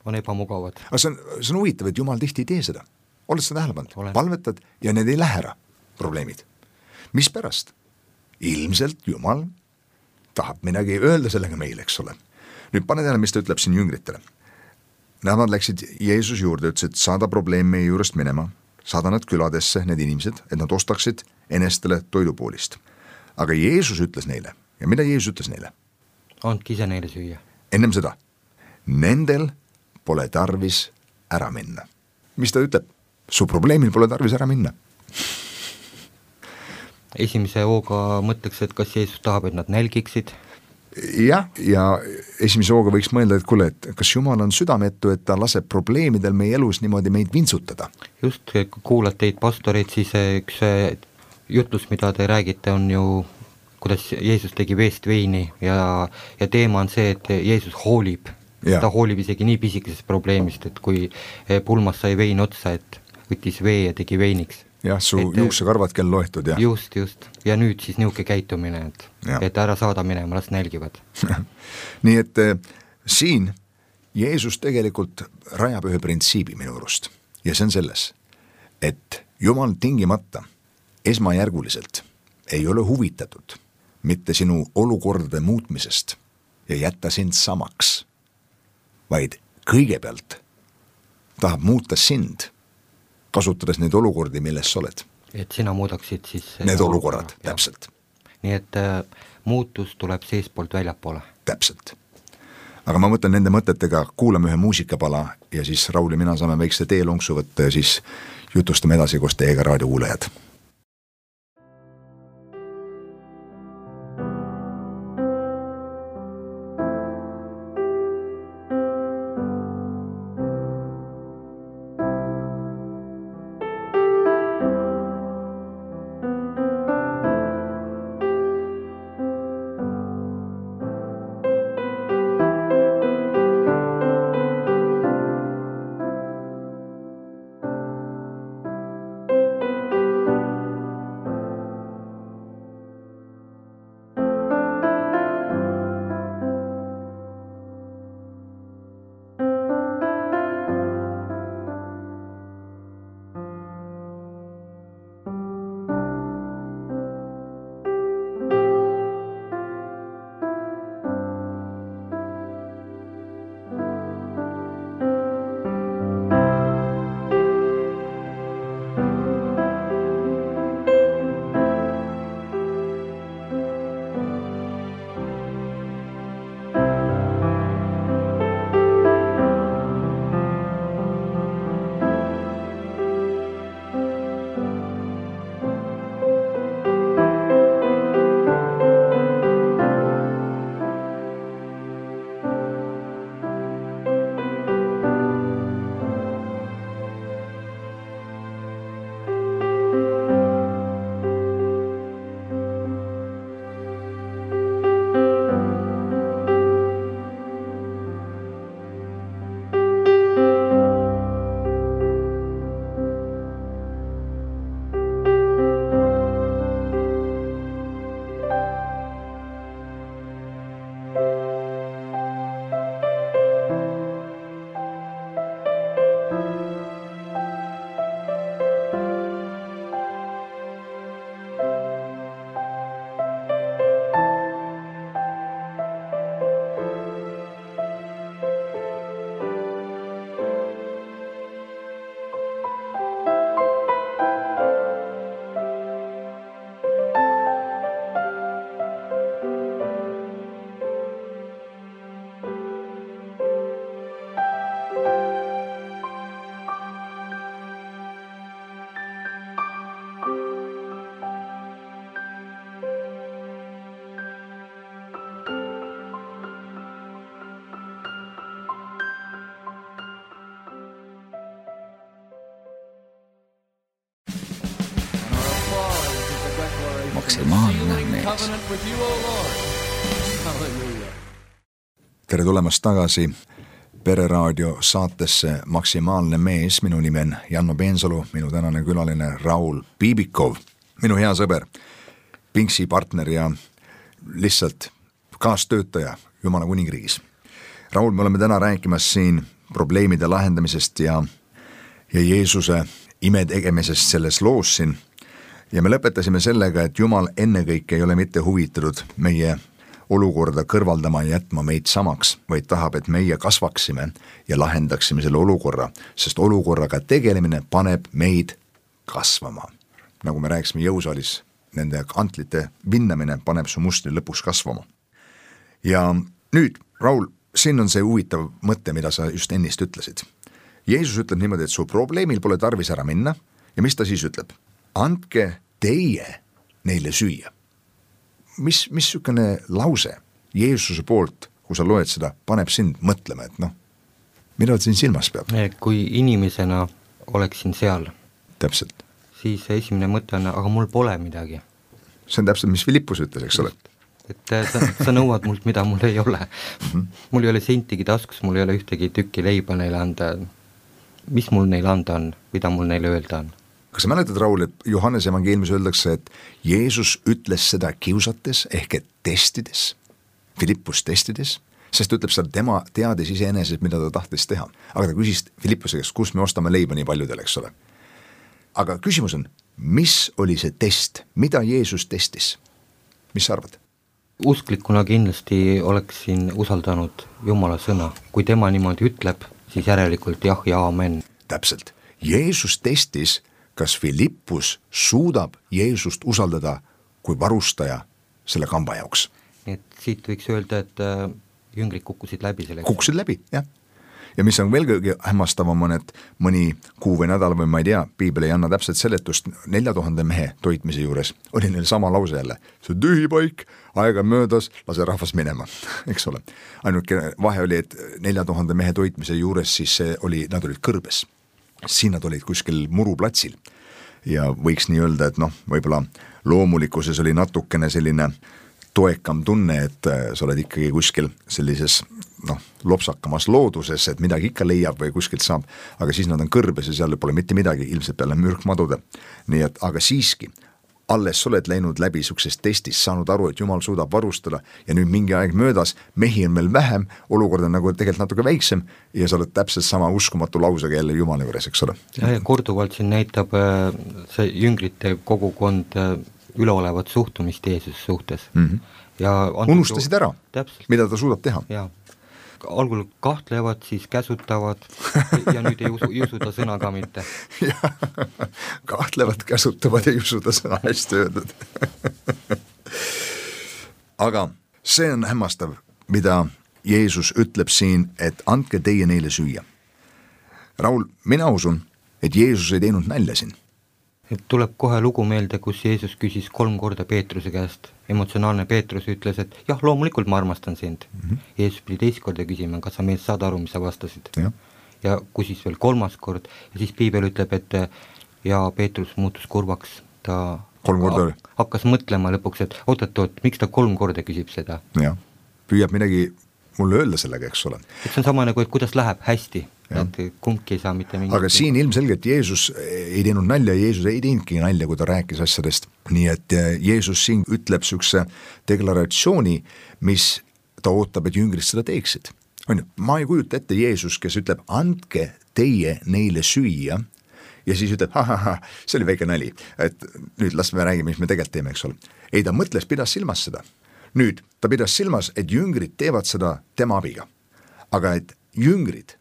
on ebamugavad. Aga see on, see on huvitav, et Jumal tihti ei tee seda. Oled seda tähele pannud? Palvetad ja need ei lähe ära, probleemid. Mis pärast? Ilmselt Jumal tahab midagi öelda sellega meile, eks ole. Nüüd pane tähele, mis ta ütleb siin jüngritele. Nad läksid Jeesus juurde, ütlesid, saada probleem meie juurest minema, saada nad küladesse, need inimesed, et nad ostaksid enestele toidupoolist. Aga Jeesus ütles neile, ja mida Jeesus ütles neile? Andke ise neile süüa. Ennem seda, nendel pole tarvis ära minna. Mis ta ütleb? Su probleemil pole tarvis ära minna. Esimese hooga mõtleks, et kas Jeesus tahab, et nad nälgiksid? Jah, ja esimese hooga võiks mõelda, et kuule, et kas Jumal on südametu, et ta laseb probleemidel meie elus niimoodi meid vintsutada? Just, kui kuulad teid pastoreid, siis üks jutlus, mida te räägite, on ju, kuidas Jeesus tegi veest veini ja, ja teema on see, et Jeesus hoolib. Ja. Ta hoolib isegi nii pisikesest probleemist, et kui pulmas sai vein otsa, et võttis vee ja tegi veiniks. Jah, su et, juuksekarvad kell loetud, jah. Just, just. Ja nüüd siis niuke käitumine, et, et ära saada minema, las nälgivad. Nii et äh, siin Jeesus tegelikult rajab ühe printsiibi minu arust. Ja see on selles, et Jumal tingimata esmajärguliselt ei ole huvitatud mitte sinu olukordade muutmisest ja jätta sind samaks, vaid kõigepealt tahab muuta sind kasutades neid olukordi, milles sa oled. Et sina muudaksid siis need olukorrad, täpselt. Nii et äh, muutus tuleb seespoolt väljapoole. Täpselt. Aga ma mõtlen nende mõtetega, kuulame ühe muusikapala ja siis Raul ja mina saame väikse teelonksu võtta ja siis jutustame edasi koos teiega raadiokuulajad. Maksimaalne mees. Tere tulemast tagasi Pereraadio saatesse Maksimaalne mees. Minu nimi on Janno Peensalu, minu tänane külaline Raul Piibikov, minu hea sõber, Pinksi partner ja lihtsalt kaastöötaja Jumala kuningriigis. Raul, me oleme täna rääkimas siin probleemide lahendamisest ja, ja Jeesuse ime tegemisest selles loos siin. Ja me lõpetasime sellega, et Jumal ennekõike ei ole mitte huvitatud meie olukorda kõrvaldama ja jätma meid samaks, vaid tahab, et meie kasvaksime ja lahendaksime selle olukorra, sest olukorraga tegelemine paneb meid kasvama. Nagu me rääkisime jõusaalis, nende antlite vinnamine paneb su mustri lõpuks kasvama. Ja nüüd, Raul, siin on see huvitav mõte, mida sa just ennist ütlesid. Jeesus ütleb niimoodi, et su probleemil pole tarvis ära minna ja mis ta siis ütleb? Andke teie neile süüa. Mis, mis sükene lause Jeesuse poolt, kui sa loed seda, paneb sind mõtlema, et noh, mida siin silmas peab? Kui inimesena oleksin seal, täpselt. Siis esimene mõte on, aga mul pole midagi. See on täpselt, mis Filippus ütles, eks ole? Et sa, sa nõuad mult, mida mul ei ole. Mm-hmm. Mul ei ole sentigi taskus, mul ei ole ühtegi tükki leiba neile anda. Mis mul neile anda on, mida mul neile öelda on? Kas sa mäletad, Raul, et Johannes evangeeliumis öeldakse, et Jeesus ütles seda kiusates ehk et testides, Filippus testides, sest ütleb seda, tema teadis iseenesest, mida ta tahtis teha. Aga ta küsis Filippuse käest, kus me ostame leiba nii paljudel, eks ole. Aga küsimus on, mis oli see test, mida Jeesus testis? Mis sa arvad? Usklikuna kindlasti oleksin usaldanud Jumala sõna. Kui tema niimoodi ütleb, siis järelikult jah ja amen. Täpselt. Jeesus testis, kas Philippus suudab Jeesust usaldada kui varustaja selle kamba jaoks. Nii et siit võiks öelda, et jüngrid kukkusid läbi selleks. Kukkusid läbi, jah. Ja mis on veel kõige hämmastavam on, et mõni kuu või nädal või ma ei tea, piibel ei anna täpselt seletust, nelja tuhande mehe toitmise juures oli neil sama lause jälle, see on tühi paik, aega möödas, lase rahvas minema, eks ole. Ainuke vahe oli, et nelja tuhande mehe toitmise juures siis see oli, nad olid kõrbes, siin nad olid kuskil muruplatsil ja võiks nii öelda, et noh, võib-olla loomulikkuses oli natukene selline toekam tunne, et sa oled ikkagi kuskil sellises noh, lopsakamas looduses, et midagi ikka leiab või kuskilt saab, aga siis nad on kõrbes ja seal pole mitte midagi, ilmselt peale mürkmadude. Nii et, aga siiski, alles sa oled läinud läbi suksest testist, saanud aru, et Jumal suudab varustada ja nüüd mingi aeg möödas, mehi on meil vähem, olukord on nagu tegelikult natuke väiksem ja sa oled täpselt sama uskumatu lausega jälle Jumala juures, eks ole. Ja, ja korduvalt siin näitab see jüngrite kogukond üleolevat suhtumist Jeesuse suhtes. Mm-hmm. Ja unustasid ära, täpselt. Mida ta suudab teha. Ja. Algul kahtlevad, siis käsutavad ja nüüd ei usu, ei usu ta sõna ka mitte. Ja, kahtlevad, käsutavad ja ei usu ta sõna, hästi öeldud. Aga see on hämmastav, mida Jeesus ütleb siin, et andke teie neile süüa. Raul, mina usun, et Jeesus ei teinud nälja siin. Et tuleb kohe lugu meelde, kus Jeesus küsis kolm korda Peetruse käest. Emotsionaalne Peetrus ütles, et jah, loomulikult ma armastan sind. Mm-hmm. Jeesus pidi teist korda küsima, kas sa meest saad aru, mis sa vastasid. Ja, ja küsis veel kolmas kord ja siis piibel ütleb, et ja Peetrus muutus kurvaks. Ta kolm korda oli. Hakkas mõtlema lõpuks, et oot-oot, miks ta kolm korda küsib seda. Ja, püüab midagi mulle öelda sellega, eks ole. Et see on sama nagu, et kuidas läheb hästi. Et kumbki ei saa mitte mingi... Aga siin ilmselgelt Jeesus ei teinud nalja, Jeesus ei teinudki nalja, kui ta rääkis asjadest. Nii et Jeesus siin ütleb sükse deklaratsiooni, mis ta ootab, et jüngrid seda teeksid. On ju, ma ei kujuta ette Jeesus, kes ütleb, andke teie neile süüa ja siis ütleb, ha, ha, ha, see oli väike nali, et nüüd las me räägime, mis me tegelikult teeme, eks ole. Ei, ta mõtles, pidas silmas seda. Nüüd, ta pidas silmas, et jüngrid teevad seda tema abiga. Aga et jüngrid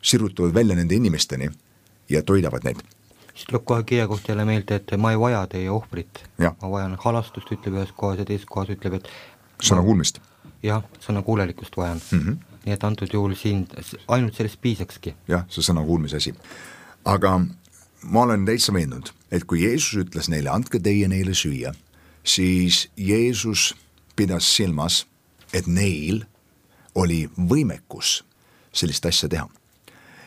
sirutavad välja nende inimesteni ja toidavad neid. Siis tuleb kohe kirja koht jälle meelde, et ma ei vaja teie ohvrit. Ja. Ma vajan halastust, ütleb ühes kohas ja teises kohas ütleb, et sõna kuulmist. Jah, sõna kuulelikkust vajan. Mm-hmm. Nii et antud juhul siin ainult sellest piisakski. Jah, see sõna kuulmise asi. Aga ma olen täitsa veendunud, et kui Jeesus ütles neile, andke teie neile süüa, siis Jeesus pidas silmas, et neil oli võimekus sellist asja teha.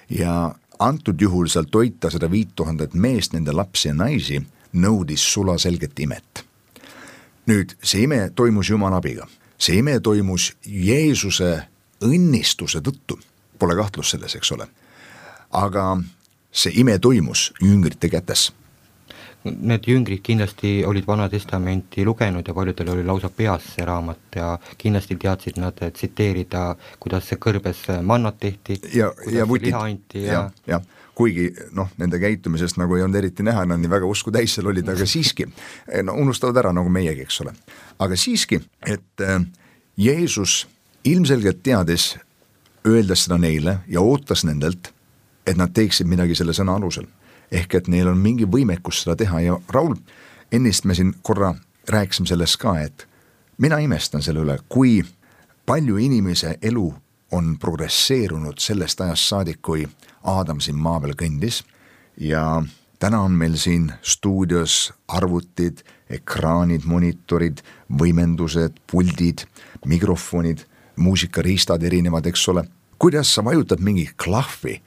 Ja antud juhul seal toita seda viit tuhandet meest, nende lapsi ja naisi, nõudis sula selget imet. Nüüd, see ime toimus Jumala abiga. See ime toimus Jeesuse õnnistuse tõttu. Pole kahtlus selles, eks ole. Aga see ime toimus jüngrite kätes. Need jüngrid kindlasti olid Vana Testamenti lugenud ja paljudel oli lausa peas see raamat ja kindlasti teadsid nad tsiteerida, kuidas see kõrbes mannat tehti, ja, kuidas ja võtid, liha anti. Ja, ja, ja kuigi noh, nende käitumisest nagu ei olnud eriti näha, nad nii väga usku täis seal olid, aga siiski no, unustavad ära nagu meiegi, eks ole. Aga siiski, et äh, Jeesus ilmselgelt teadis, öeldes seda neile ja ootas nendelt, et nad teeksid midagi selle sõna alusel. Ehk et neil on mingi võimekus seda teha ja Raul, ennist me siin korra rääkisime sellest ka, et mina imestan selle üle, kui palju inimese elu on progresseerunud sellest ajast saadik, kui Aadam siin maa peal kõndis ja täna on meil siin stuudios arvutid, ekraanid, monitorid, võimendused, puldid, mikrofonid, muusikariistad erinevad, eks ole. Kuidas sa vajutad mingi klahvi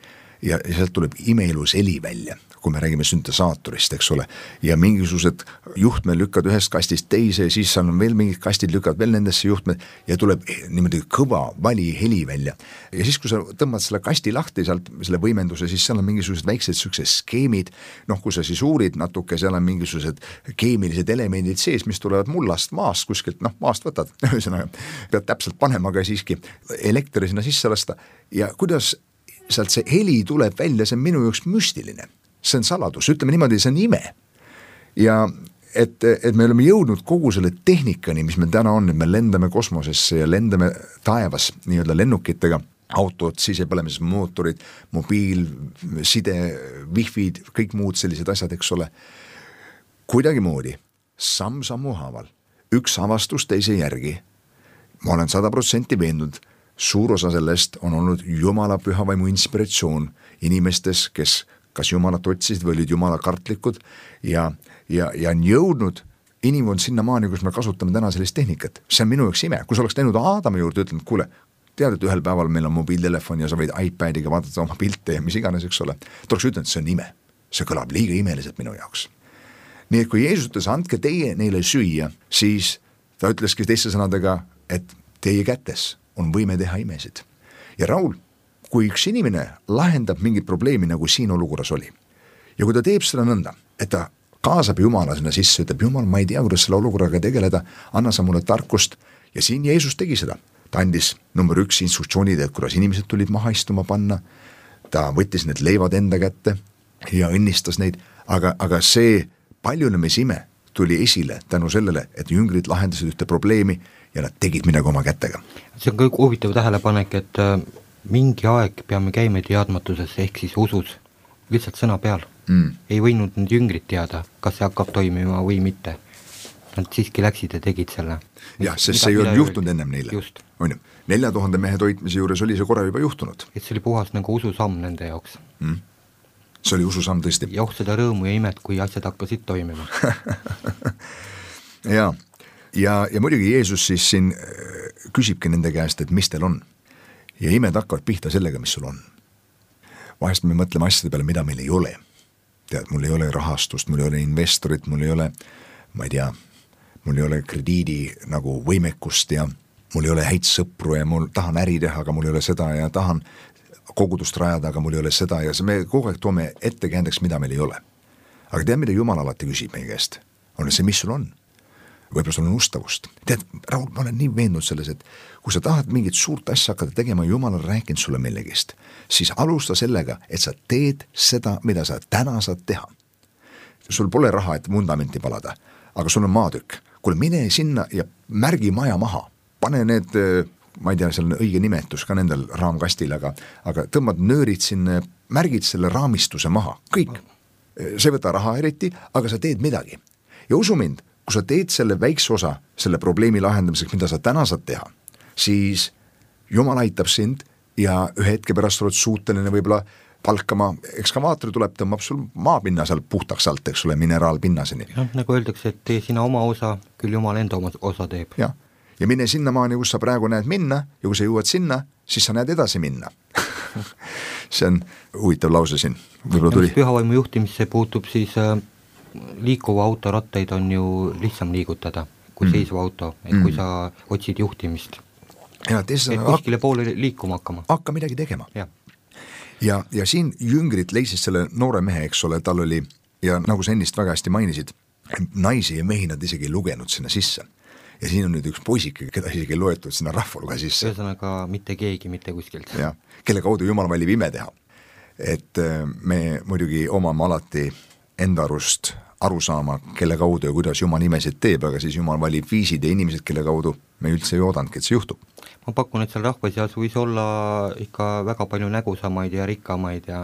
ja sealt tuleb imeilus heli välja, kui me räägime süntesaatorist, eks ole, ja mingisugused juhtmed lükkad ühest kastist teise ja siis on veel mingid kastid lükkad veel nendesse juhtmed ja tuleb niimoodi kõva vali heli välja. Ja siis, kui sa tõmbad selle kasti lahti sealt, selle võimenduse, siis seal on mingisugused väiksed süksed skeemid, noh, kui sa siis uurid natuke, seal on mingisugused keemilised elemendid sees, mis tulevad mullast maast kuskilt, noh, maast võtad, ühesõnaga, pead täpselt panema, aga siiski elektri sinna sisse lasta ja kuidas sealt see heli tuleb välja, see on minu jaoks müstiline. See on saladus, ütleme niimoodi, see on ime. Ja et, et me oleme jõudnud kogu selle tehnikani, mis meil täna on, et me lendame kosmosesse ja lendame taevas nii-öelda lennukitega autod, sisepõlemised, mootorid, mobiil, side, wifi'd, kõik muud sellised asjad, eks ole. Kuidagimoodi, samm sammu haaval, üks avastus teise järgi, ma olen sada protsenti veendunud, suur osa sellest on olnud Jumala pühavaimu inspiratsioon inimestes, kes kas Jumalat otsisid või olid Jumala kartlikud ja, ja, ja on jõudnud inimkond sinnamaani, kus me kasutame täna sellist tehnikat. See on minu jaoks ime, kui sa oleks läinud Aadami juurde, ütlenud, kuule, tead, et ühel päeval meil on mobiiltelefon ja sa võid iPadiga vaadata oma pilte ja mis iganes, eks ole. Ta oleks ütelnud, see on ime, see kõlab liiga imeliselt minu jaoks. Nii et kui Jeesus ütles, andke teie neile süüa, siis ta ütleski teiste sõnadega, et teie kätes on võime teha imesid. Ja Raul, kui üks inimene lahendab mingit probleemi, nagu siin olukorras oli, ja kui ta teeb seda nõnda, et ta kaasab Jumala sinna sisse, ütleb, Jumal, ma ei tea, kuidas selle olukorraga tegeleda, anna sa mulle tarkust, ja siin Jeesus tegi seda. Ta andis number üks instruktsioonid, et kuidas inimesed tulid maha istuma panna, ta võttis need leivad enda kätte ja õnnistas neid, aga, aga see paljunemisime tuli esile tänu sellele, et jüngrid lahendasid ühte probleemi ja nad tegid midagi oma kätega. See on kõik huvitav tähelepanek, et mingi aeg peame käima teadmatuses ehk siis usus, lihtsalt sõna peal. Mm. Ei võinud need jüngrid teada, kas see hakkab toimima või mitte. Nad siiski läksid ja tegid selle. Jah, sest see ei olnud juhtunud ennem neile. Just. On ju, nelja tuhande mehe toitmise juures oli see korra juba juhtunud. Et see oli puhas nagu ususamm nende jaoks. Mm. See oli ususamm tõesti. Ja oh seda rõõmu ja imet, kui asjad hakkasid toimima. ja, ja, ja muidugi Jeesus siis siin küsibki nende käest, et mis teil on. Ja imed hakkavad pihta sellega, mis sul on. Vahest me mõtleme asjade peale, mida meil ei ole. Tead, mul ei ole rahastust, mul ei ole investorit, mul ei ole, ma ei tea, mul ei ole krediidi nagu võimekust ja mul ei ole häid sõpru ja mul tahan äri teha, aga mul ei ole seda ja tahan kogudust rajada, aga mul ei ole seda ja me kogu aeg toome ettekäändeks, mida meil ei ole. Aga tead, mida Jumal alati küsib meie käest? On see, mis sul on? Võib-olla sul on ustavust. Tead, Raul, ma olen nii veendunud selles, et kui sa tahad mingit suurt asja hakata tegema, Jumal on rääkinud sulle millegist, siis alusta sellega, et sa teed seda, mida sa täna saad teha. Sul pole raha, et vundamenti palada, aga sul on maatükk. Kuule, mine sinna ja märgi maja maha. Pane need, ma ei tea, seal on õige nimetus ka nendel raamkastil, aga, aga tõmbad nöörid sinna, märgid selle raamistuse maha. Kõik. See võta raha eriti, aga sa teed midagi. Ja usu mind, kui sa teed selle väikse osa selle probleemi lahendamiseks, mida sa täna saad teha, siis Jumal aitab sind ja ühe hetke pärast oled suuteline võib-olla palkama, ekskavaatori tuleb, tõmbab sul maapinna seal puhtaks alt, eks ole, mineraalpinnaseni. Ja, nagu öeldakse, et tee sina oma osa, küll Jumal enda oma osa teeb. Ja, ja mine sinna maani, kus sa praegu näed minna ja kui sa jõuad sinna, siis sa näed edasi minna. See on huvitav lause siin. Võib-olla tuli. Pühavaimu juhtimisse puutub siis äh, liikuva auto rattaid on ju lihtsam liigutada kui mm. seisva auto, et mm. kui sa otsid juhtimist. Ja, teisest, et kuskile hak- poole liikuma hakkama. Hakka midagi tegema. Ja. Ja, ja siin jüngrid leisid selle noore mehe, eks ole, tal oli, ja nagu sa ennist väga hästi mainisid, naisi ja mehi nad isegi ei lugenud sinna sisse. Ja siin on nüüd üks poisike, keda isegi ei loetud sinna rahvaluga sisse. Ühesõnaga mitte keegi, mitte kuskilt. Ja, kelle kaudu Jumal valib ime teha. Et me muidugi omame alati enda arust aru saama, kelle kaudu ja kuidas Jumal imesid teeb, aga siis Jumal valib viisid ja inimesed, kelle kaudu me üldse ei oodanudki, et see juhtub. Ma pakun, et seal rahva seas võis olla ikka väga palju nägusamaid ja rikkamaid ja,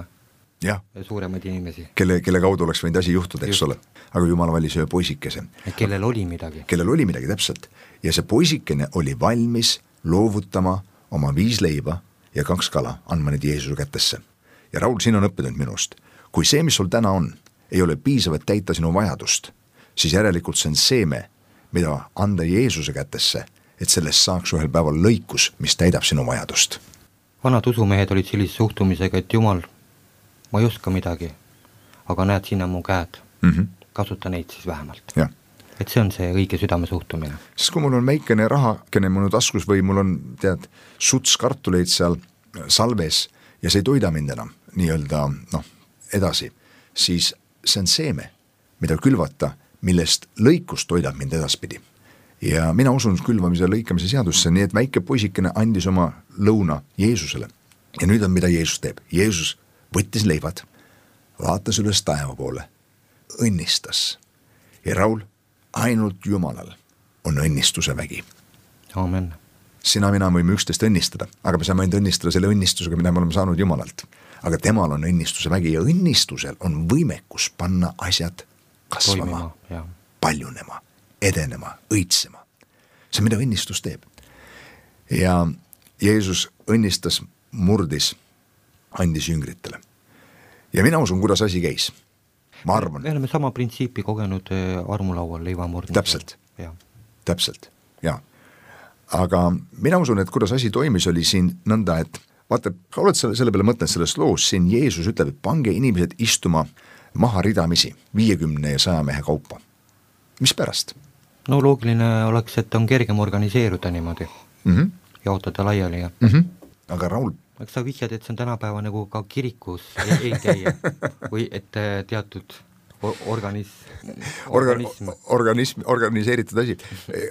ja. ja suuremaid inimesi. Kelle, kelle kaudu oleks võinud asi juhtuda, eks ole. Aga Jumal valis ühe poisikese. Kellel oli midagi. Kellel oli midagi, täpselt. Ja see poisikene oli valmis loovutama oma viis leiba ja kaks kala, andma need Jeesuse kätesse. Ja Raul, siin on õppinud minust. Kui see, mis sul täna on, ei ole piisavat täita sinu vajadust, siis järelikult see on seeme, mida anda Jeesuse kätesse, et sellest saaks ühel päeval lõikus, mis täidab sinu vajadust. Vanad usumehed olid sellise suhtumisega, et Jumal, ma ei oska midagi, aga näed sinna mu käed, mm-hmm. kasuta neid siis vähemalt. Ja. Et see on see õige südame suhtumine. Sest kui mul on väikene raha, kene minu taskus või mul on, tead, suts kartuleid seal salves ja see ei toida mind enam nii-öelda, noh, edasi, siis see on seeme, mida külvata, millest lõikus toidab mind edaspidi. Ja mina usun külvamise lõikamise seadusse, nii et väike poisikene andis oma lõuna Jeesusele. Ja nüüd on, mida Jeesus teeb. Jeesus võttis leivad, vaatas üles taeva poole, õnnistas. Ja Raul, ainult Jumalal on õnnistuse vägi. Amen. sina, mina võime üksteist õnnistada, aga me saame ainult õnnistada selle õnnistusega, mida me oleme saanud Jumalalt. Aga temal on õnnistuse vägi ja õnnistusel on võimekus panna asjad kasvama, Toimima, paljunema, edenema, õitsema. See, mida õnnistus teeb. Ja Jeesus õnnistas, murdis, andis jüngritele. Ja mina usun, kuidas asi käis. Ma arvan. Me oleme sama printsiipi kogenud armulaual leivamurdmisel. Täpselt, ja. täpselt, jaa. Aga mina usun, et kuidas asi toimis, oli siin nõnda, et vaata, oled selle, selle peale mõtlenud selles loos, siin Jeesus ütleb, et pange inimesed istuma maha ridamisi, viiekümne ja saja mehe kaupa. Mis pärast? No loogiline oleks, et on kergem organiseeruda niimoodi, mm-hmm. jaotada laiali ja mm-hmm. Aga Raul, eks sa vihjad, et see on tänapäeva nagu ka kirikus ei, ei käia või et teatud organis, organism. Organ, organism, organiseeritud asi.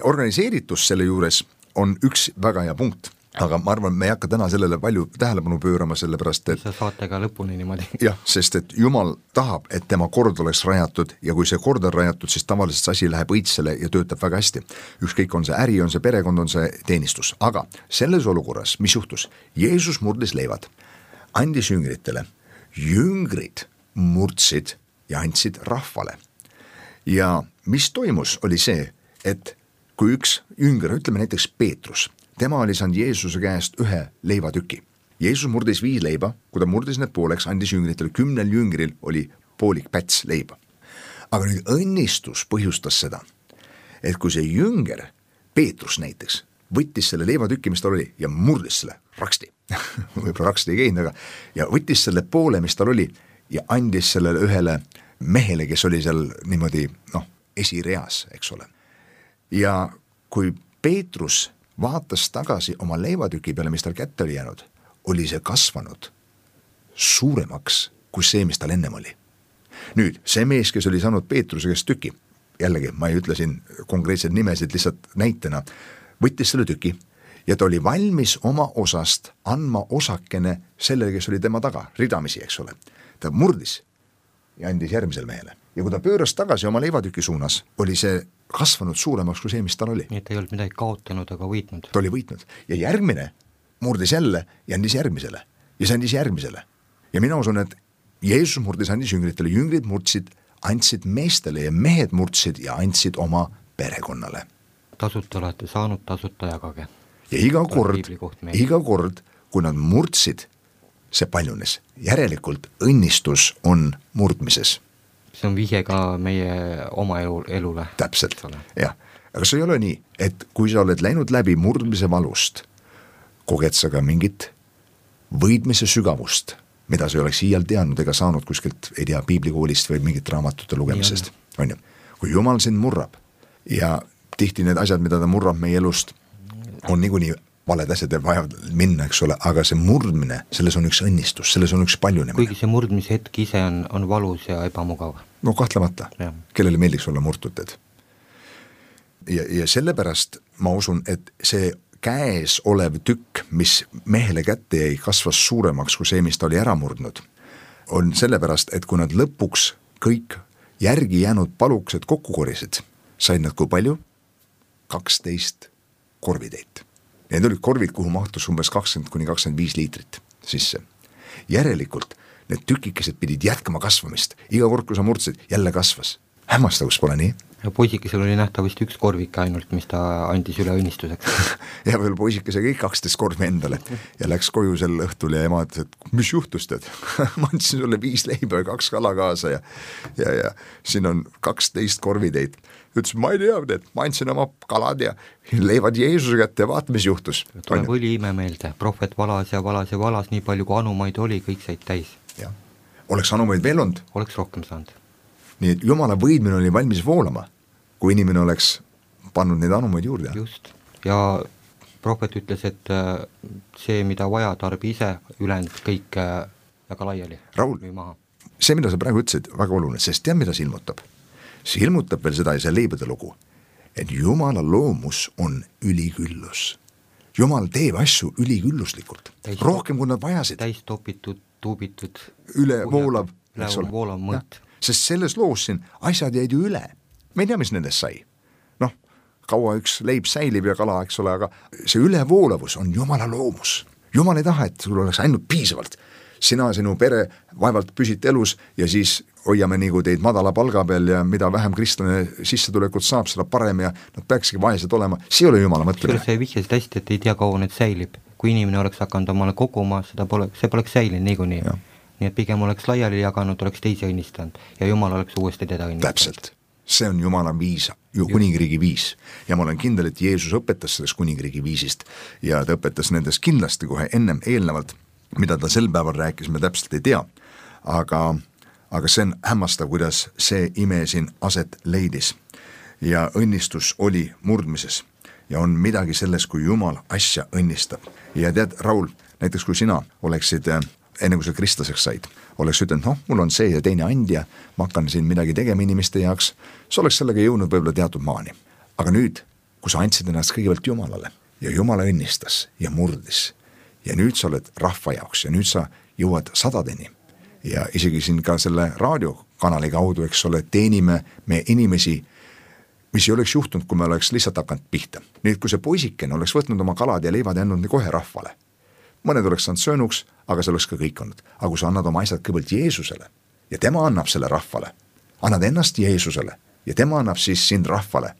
Organiseeritus selle juures on üks väga hea punkt, aga ma arvan, me ei hakka täna sellele palju tähelepanu pöörama, sellepärast et sa saate ka lõpuni niimoodi. Jah, sest et Jumal tahab, et tema kord oleks rajatud ja kui see kord on rajatud, siis tavaliselt see asi läheb õitsele ja töötab väga hästi. Ükskõik on see äri, on see perekond, on see teenistus. Aga selles olukorras, mis juhtus? Jeesus murdis leivad, andis jüngritele, jüngrid murdsid ja andsid rahvale. Ja mis toimus, oli see, et kui üks jünger, ütleme näiteks Peetrus, tema oli saanud Jeesuse käest ühe leivatüki. Jeesus murdis viis leiba, kui ta murdis need pooleks, andis jüngritele, kümnel jüngril oli poolik päts leiba. Aga nüüd õnnistus põhjustas seda, et kui see jünger, Peetrus näiteks, võttis selle leivatüki, mis tal oli, ja murdis selle raksti, võib-olla raksti ei käinud, aga ja võttis selle poole, mis tal oli, ja andis sellele ühele mehele, kes oli seal niimoodi, noh, esireas, eks ole. Ja kui Peetrus vaatas tagasi oma leivatüki peale, mis tal kätte oli jäänud, oli see kasvanud suuremaks kui see, mis tal ennem oli. Nüüd, see mees, kes oli saanud Peetruse käest tüki, jällegi, ma ei ütle siin konkreetseid nimesid lihtsalt näitena, võttis selle tüki ja ta oli valmis oma osast andma osakene sellele, kes oli tema taga, ridamisi, eks ole. Ta murdis ja andis järgmisele mehele. Ja kui ta pööras tagasi oma leivatüki suunas, oli see kasvanud suuremaks kui see, mis tal oli. Nii et ei olnud midagi kaotanud, aga võitnud. Ta oli võitnud. Ja järgmine murdis jälle ja andis järgmisele. Ja see andis järgmisele. Ja mina usun, et Jeesus murdis, andis jüngritele, jüngrid murdsid, andsid meestele ja mehed murdsid ja andsid oma perekonnale. Tasuta olete saanud, tasuta jagage. Ja iga kord, iga kord, kui nad murdsid, see paljunes. Järelikult õnnistus on murdmises. See on vihje ka meie oma elu, elule. Täpselt, jah. Aga see ei ole nii, et kui sa oled läinud läbi murdmise valust, koged sa ka mingit võidmise sügavust, mida sa ei oleks iial teadnud ega saanud kuskilt, ei tea, piiblikoolist või mingit raamatute lugemisest. On ju? Kui Jumal sind murrab ja tihti need asjad, mida ta murrab meie elust, on niikuinii valed asjad ja vaja minna, eks ole, aga see murdmine, selles on üks õnnistus, selles on üks paljunemine. Kuigi see murdmise hetk ise on, on valus ja ebamugav. No kahtlemata, ja. Kellele meeldiks olla murtud. Ja, ja sellepärast ma usun, et see käes olev tükk, mis mehele kätte jäi, kasvas suuremaks kui see, mis ta oli ära murdnud, on sellepärast, et kui nad lõpuks kõik järgi jäänud palukesed kokku korisid, said nad kui palju? kaksteist korvitäit. Need olid korvid, kuhu mahtus umbes kakskümmend kuni kakskümmend viis liitrit sisse. Järelikult need tükikesed pidid jätkama kasvamist. Iga kord, kui sa murdsid, jälle kasvas. Hämmastavus pole nii? Ja poisikesel oli nähtavasti üks korvik ainult, mis ta andis üle õnnistuseks. Ja veel poisikese kõik kaksteist korvi endale ja läks koju sel õhtul ja ema ütles, et mis juhtus tead? Ma andsin sulle viis leiba ja kaks kala kaasa ja, ja, ja siin on kaksteist korvitäit. Ütles, ma ei tea, et ma andsin oma kalad ja leivad Jeesuse kätte ja vaat, mis juhtus. Tuleb oli ime meelde, prohvet valas ja valas ja valas, nii palju kui anumaid oli, kõik said täis. Ja. Oleks anumaid veel olnud? Oleks rohkem saanud. Nii et Jumala võidmine oli valmis voolama, kui inimene oleks pannud neid anumaid juurde. Just. Ja prohvet ütles, et see, mida vaja, tarbi ise, ülejäänud kõik väga laiali. Raul, see, mida sa praegu ütlesid, väga oluline, sest tead, mida see ilmutab? See ilmutab veel seda ja see leibade lugu, et Jumala loomus on üliküllus. Jumal teeb asju ülikülluslikult, täis rohkem kui nad vajasid. Täis topitud, tuubitud. Üle voolav, eks ole. Voolav mõõt. Sest selles loos siin asjad jäid ju üle. Me ei tea, mis nendest sai. Noh, kaua üks leib säilib ja kala, eks ole, aga see ülevoolavus on Jumala loomus. Jumal ei taha, et sul oleks ainult piisavalt. Sina, sinu pere vaevalt püsit elus ja siis hoiame nagu teid madala palga peal ja mida vähem kristlane sissetulekut saab, seda parem ja nad peakski vaesed olema. See ei ole Jumala mõtlemine. See vihjasid hästi, et ei tea kaua need säilib. Kui inimene oleks hakanud omale koguma, seda pole, see poleks säilinud niikuinii. Nii et pigem oleks laiali jaganud, oleks teisi õnnistanud ja Jumal oleks uuesti teda õnnistanud. Täpselt. See on Jumala viis, ju kuningriigi viis. Ja ma olen kindel, et Jeesus õpetas sellest kuningriigi viisist ja ta õpetas nendest kindlasti kohe ennem eelnevalt, mida ta sel päeval rääkis, me täpselt ei tea. Aga, aga see on hämmastav, kuidas see ime siin aset leidis. Ja õnnistus oli murdmises. Ja on midagi selles, kui Jumal asja õnnistab. Ja tead, Raul, näiteks kui sina oleksid, enne kui sa kristlaseks said, oleks ütelnud, noh, mul on see ja teine andja, ma hakkan siin midagi tegema inimeste jaoks, sa oleks sellega jõudnud võib-olla teatud maani. Aga nüüd, kui sa andsid ennast kõigepealt Jumalale ja Jumala õnnistas ja murdis ja nüüd sa oled rahva jaoks ja nüüd sa jõuad sadadeni ja isegi siin ka selle raadiokanali kaudu, eks ole, teenime me inimesi, mis ei oleks juhtunud, kui me oleks lihtsalt hakanud pihta. Nüüd, kui see poisikene oleks võtnud oma kalad ja leivad ja andnud kohe rahvale, mõned oleks saanud söönuks, aga see oleks ka kõik olnud. Aga kui sa annad oma asjad kõigepealt Jeesusele ja tema annab selle rahvale, annad ennast Jeesusele ja tema annab siis sind rahvale,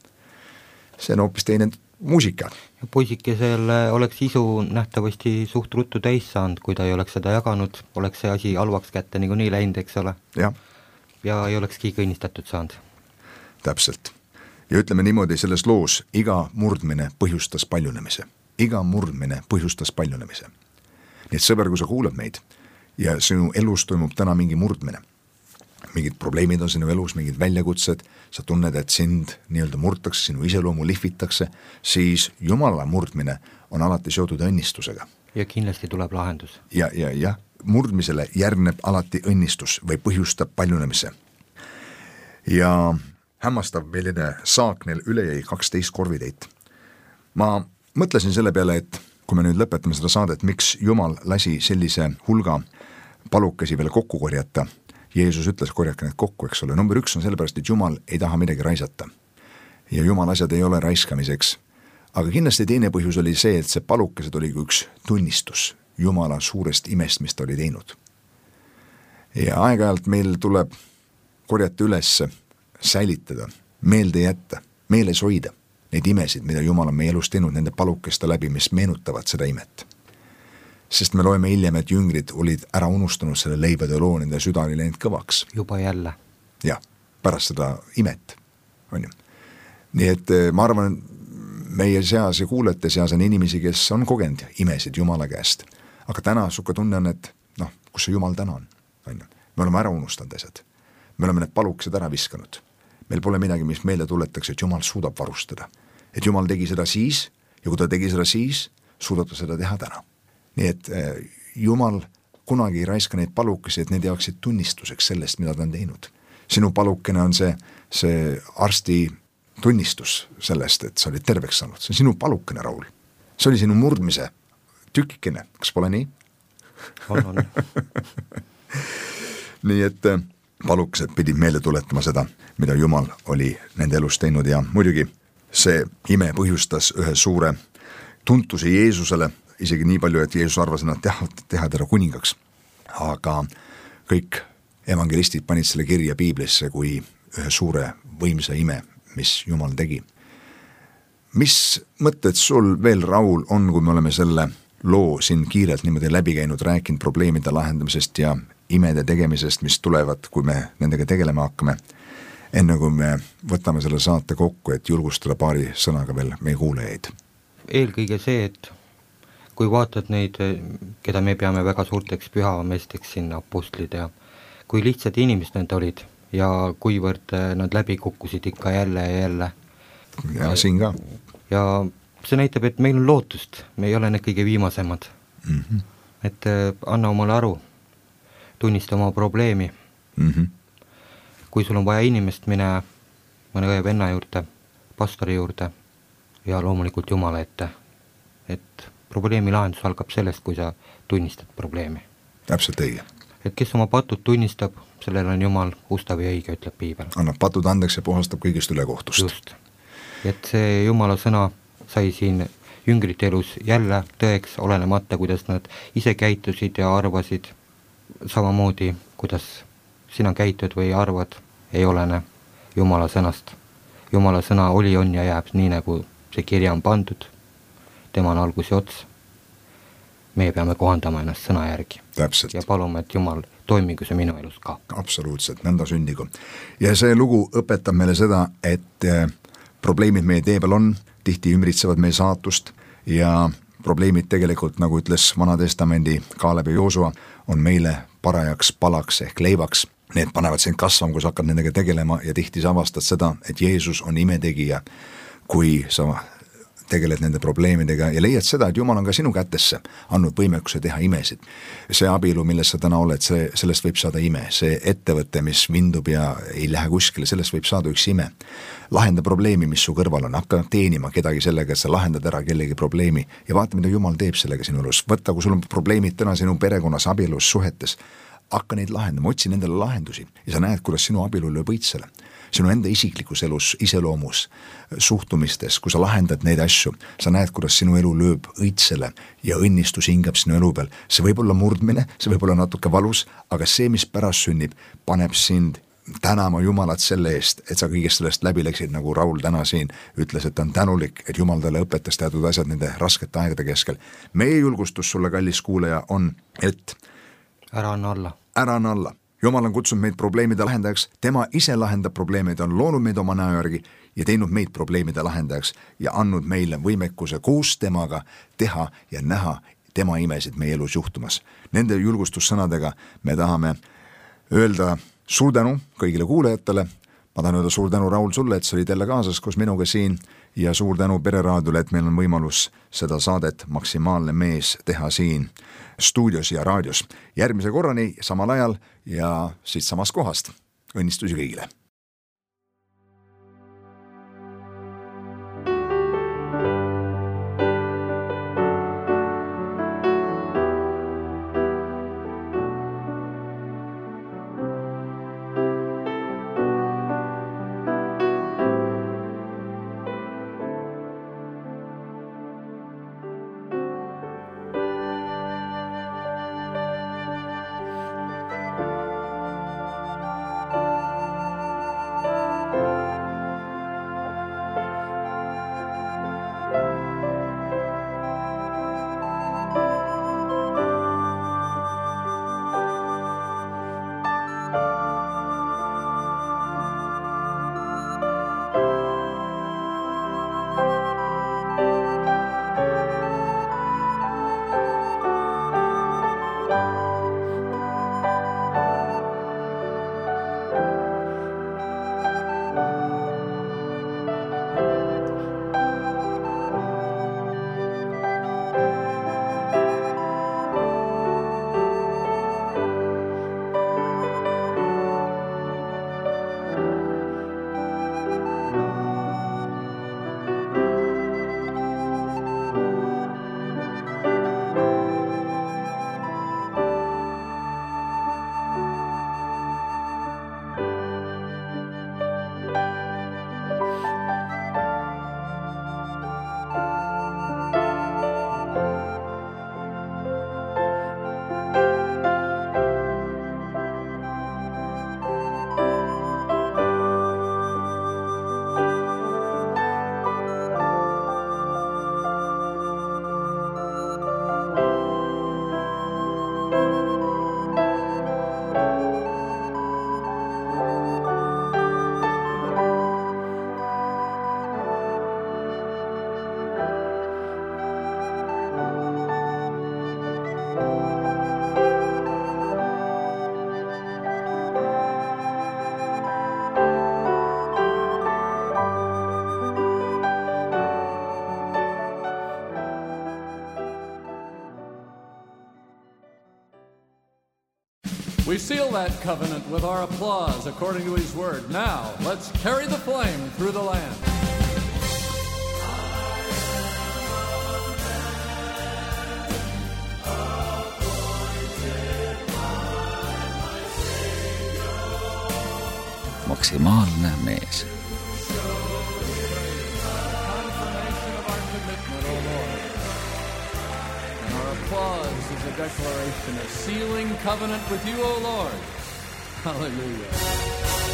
see on hoopis teine muusika. Ja poisikesel oleks isu nähtavasti suht ruttu täis saanud, kui ta ei oleks seda jaganud, oleks see asi halvaks kätte nagu nii läinud, eks ole. Ja, ja ei oleks kõik õnnistatud saanud. Täpselt. Ja ütleme niimoodi, selles loos iga murdmine põhjustas paljunemise. Iga murdmine põhjustas paljunemise. Nii et sõber, kui sa kuulad meid ja sinu elus toimub täna mingi murdmine, mingid probleemid on sinu elus, mingid väljakutsed, sa tunned, et sind nii-öelda murtakse, sinu iseloomu lihvitakse, siis Jumala murdmine on alati seotud õnnistusega. Ja kindlasti tuleb lahendus. Ja, ja, ja murdmisele järgneb alati õnnistus või põhjustab paljunemise. Ja hämmastav milline saak neil üle jäi kaksteist korvideit. Ma mõtlesin selle peale, et kui me nüüd lõpetame seda saadet, miks Jumal lasi sellise hulga palukesi veel kokku korjata. Jeesus ütles, korjake need kokku, eks ole. Number üks on sellepärast, et Jumal ei taha midagi raisata. Ja Jumal asjad ei ole raiskamiseks. Aga kindlasti teine põhjus oli see, et see palukesed oli üks tunnistus Jumala suurest imest, mis ta oli teinud. Ja aeg-ajalt meil tuleb korjata üles, säilitada, meelde jätta, meeles hoida neid imesid, mida Jumal on meie elus teinud nende palukeste läbi, mis meenutavad seda imet. Sest me loeme hiljem, et jüngrid olid ära unustanud selle leibade loo, nende süda oli läinud kõvaks. Juba jälle. Ja, pärast seda imet. On ju. Nii et ma arvan, meie seas ja kuulete seas on inimesi, kes on kogenud imesid Jumala käest. Aga täna suka tunne on, et noh, kus see Jumal täna on. On ju. Me oleme ära unustanud asjad. Me oleme need palukesed ära viskanud. Meil pole midagi, mis meelde tuletaks, et Jumal suudab varustada. Et Jumal tegi seda siis ja kui ta tegi seda siis, suudab ta seda teha täna. Nii et Jumal kunagi ei raiska neid palukesi, et need jaoksid tunnistuseks sellest, mida ta on teinud. Sinu palukene on see, see arsti tunnistus sellest, et sa olid terveks saanud. See on sinu palukene, Raul. See oli sinu murdmise tükikene. Kas pole nii? On, on. Nii et palukesed pidid meelde tuletama seda, mida Jumal oli nende elus teinud ja muidugi see ime põhjustas ühe suure tuntuse Jeesusele, isegi nii palju, et Jeesus arvas, et nad teha, teha teda kuningaks. Aga kõik evangelistid panid selle kirja Piiblisse kui ühe suure võimsa ime, mis Jumal tegi. Mis mõtted sul veel, Raul, on, kui me oleme selle loo siin kiirelt niimoodi läbi käinud, rääkinud probleemide lahendamisest ja imede tegemisest, mis tulevad, kui me nendega tegelema hakkame, enne kui me võtame selle saate kokku, et julgustada paari sõnaga veel meie kuulajaid? Eelkõige see, et kui vaatad neid, keda me peame väga suurteks pühameesteks sinna apostlid ja kui lihtsad inimesed need olid ja kuivõrd nad läbi kukkusid ikka jälle ja jälle. Ja siin ka. Ja see näitab, et meil on lootust, me ei ole need kõige viimasemad. Mm-hmm. Et anna omale aru, tunnista oma probleemi. Mm-hmm. Kui sul on vaja inimest, mine mõne õe venna juurde, pastori juurde ja loomulikult Jumala ette, et probleemi lahendus algab sellest, kui sa tunnistad probleemi. Täpselt õige. Et kes oma patud tunnistab, sellel on Jumal ustav ja õige, ütleb Piibel. Annab patud andeks ja puhastab kõigest üle kohtust. Just. et see Jumala sõna sai siin jüngrite elus jälle tõeks, olenemata, kuidas nad ise käitusid ja arvasid, samamoodi, kuidas sina käitud või arvad, ei olene Jumala sõnast. Jumala sõna oli, on ja jääb nii, nagu see kirja on pandud, tema on algus ja ots. Meie peame kohandama ennast sõna järgi. Täpselt. Ja palume, et Jumal toimigu see minu elus ka. Absoluutselt, nõnda sündigu. Ja see lugu õpetab meile seda, et probleemid meie tee peal on, tihti ümbritsevad meie saatust ja probleemid tegelikult, nagu ütles Vanatestamendi Kaaleb ja Joosua, on meile parajaks palaks ehk leivaks. Need panevad sind kasvama, kui sa hakkad nendega tegelema ja tihti sa avastad seda, et Jeesus on imetegija, kui sa tegeled nende probleemidega ja leiad seda, et Jumal on ka sinu kätesse andnud võimekuse teha imesid. See abielu, milles sa täna oled, see, sellest võib saada ime. See ettevõte, mis vindub ja ei lähe kuskile, sellest võib saada üks ime. Lahenda probleemi, mis su kõrval on. Hakka teenima kedagi sellega, et sa lahendad ära kellegi probleemi ja vaata, mida Jumal teeb sellega sinu elus. Võtta, kui sul on probleemid täna sinu perekonnas, abielus, suhetes, hakka neid lahendama, otsi nendele lahendusi ja sa näed, kuidas sinu abielu lööb õitsele. Sinu enda isiklikus elus, iseloomus, suhtumistes, kui sa lahendad neid asju, sa näed, kuidas sinu elu lööb õitsele ja õnnistus hingab sinu elu peal. See võib olla murdmine, see võib olla natuke valus, aga see, mis pärast sünnib, paneb sind tänama Jumalat selle eest, et sa kõigest sellest läbi läksid, nagu Raul täna siin ütles, et ta on tänulik, et Jumal talle õpetas teatud asjad nende raskete aegade keskel. Meie julgustus sulle, kallis kuulaja, on, et ära anna alla. Ära anna alla. Jumal on kutsunud meid probleemide lahendajaks, tema ise lahendab probleemid, on loonud meid oma näo järgi ja teinud meid probleemide lahendajaks ja andnud meile võimekuse koos temaga teha ja näha tema imesid meie elus juhtumas. Nende julgustussõnadega me tahame öelda suur tänu kõigile kuulajatele. Ma tahan öelda suur tänu, Raul, sulle, et sa olid jälle kaasas koos minuga siin ja suur tänu Pereraadiole, et meil on võimalus seda saadet Maksimaalne mees teha siin stuudios ja raadios. Järgmise korrani samal ajal ja siit samast kohast. Õnnistusi kõigile! We seal that covenant with our applause according to his word. Now, let's carry the flame through the land. Maksimaalne mees. applause is a declaration, a sealing covenant with you, O Lord. Hallelujah.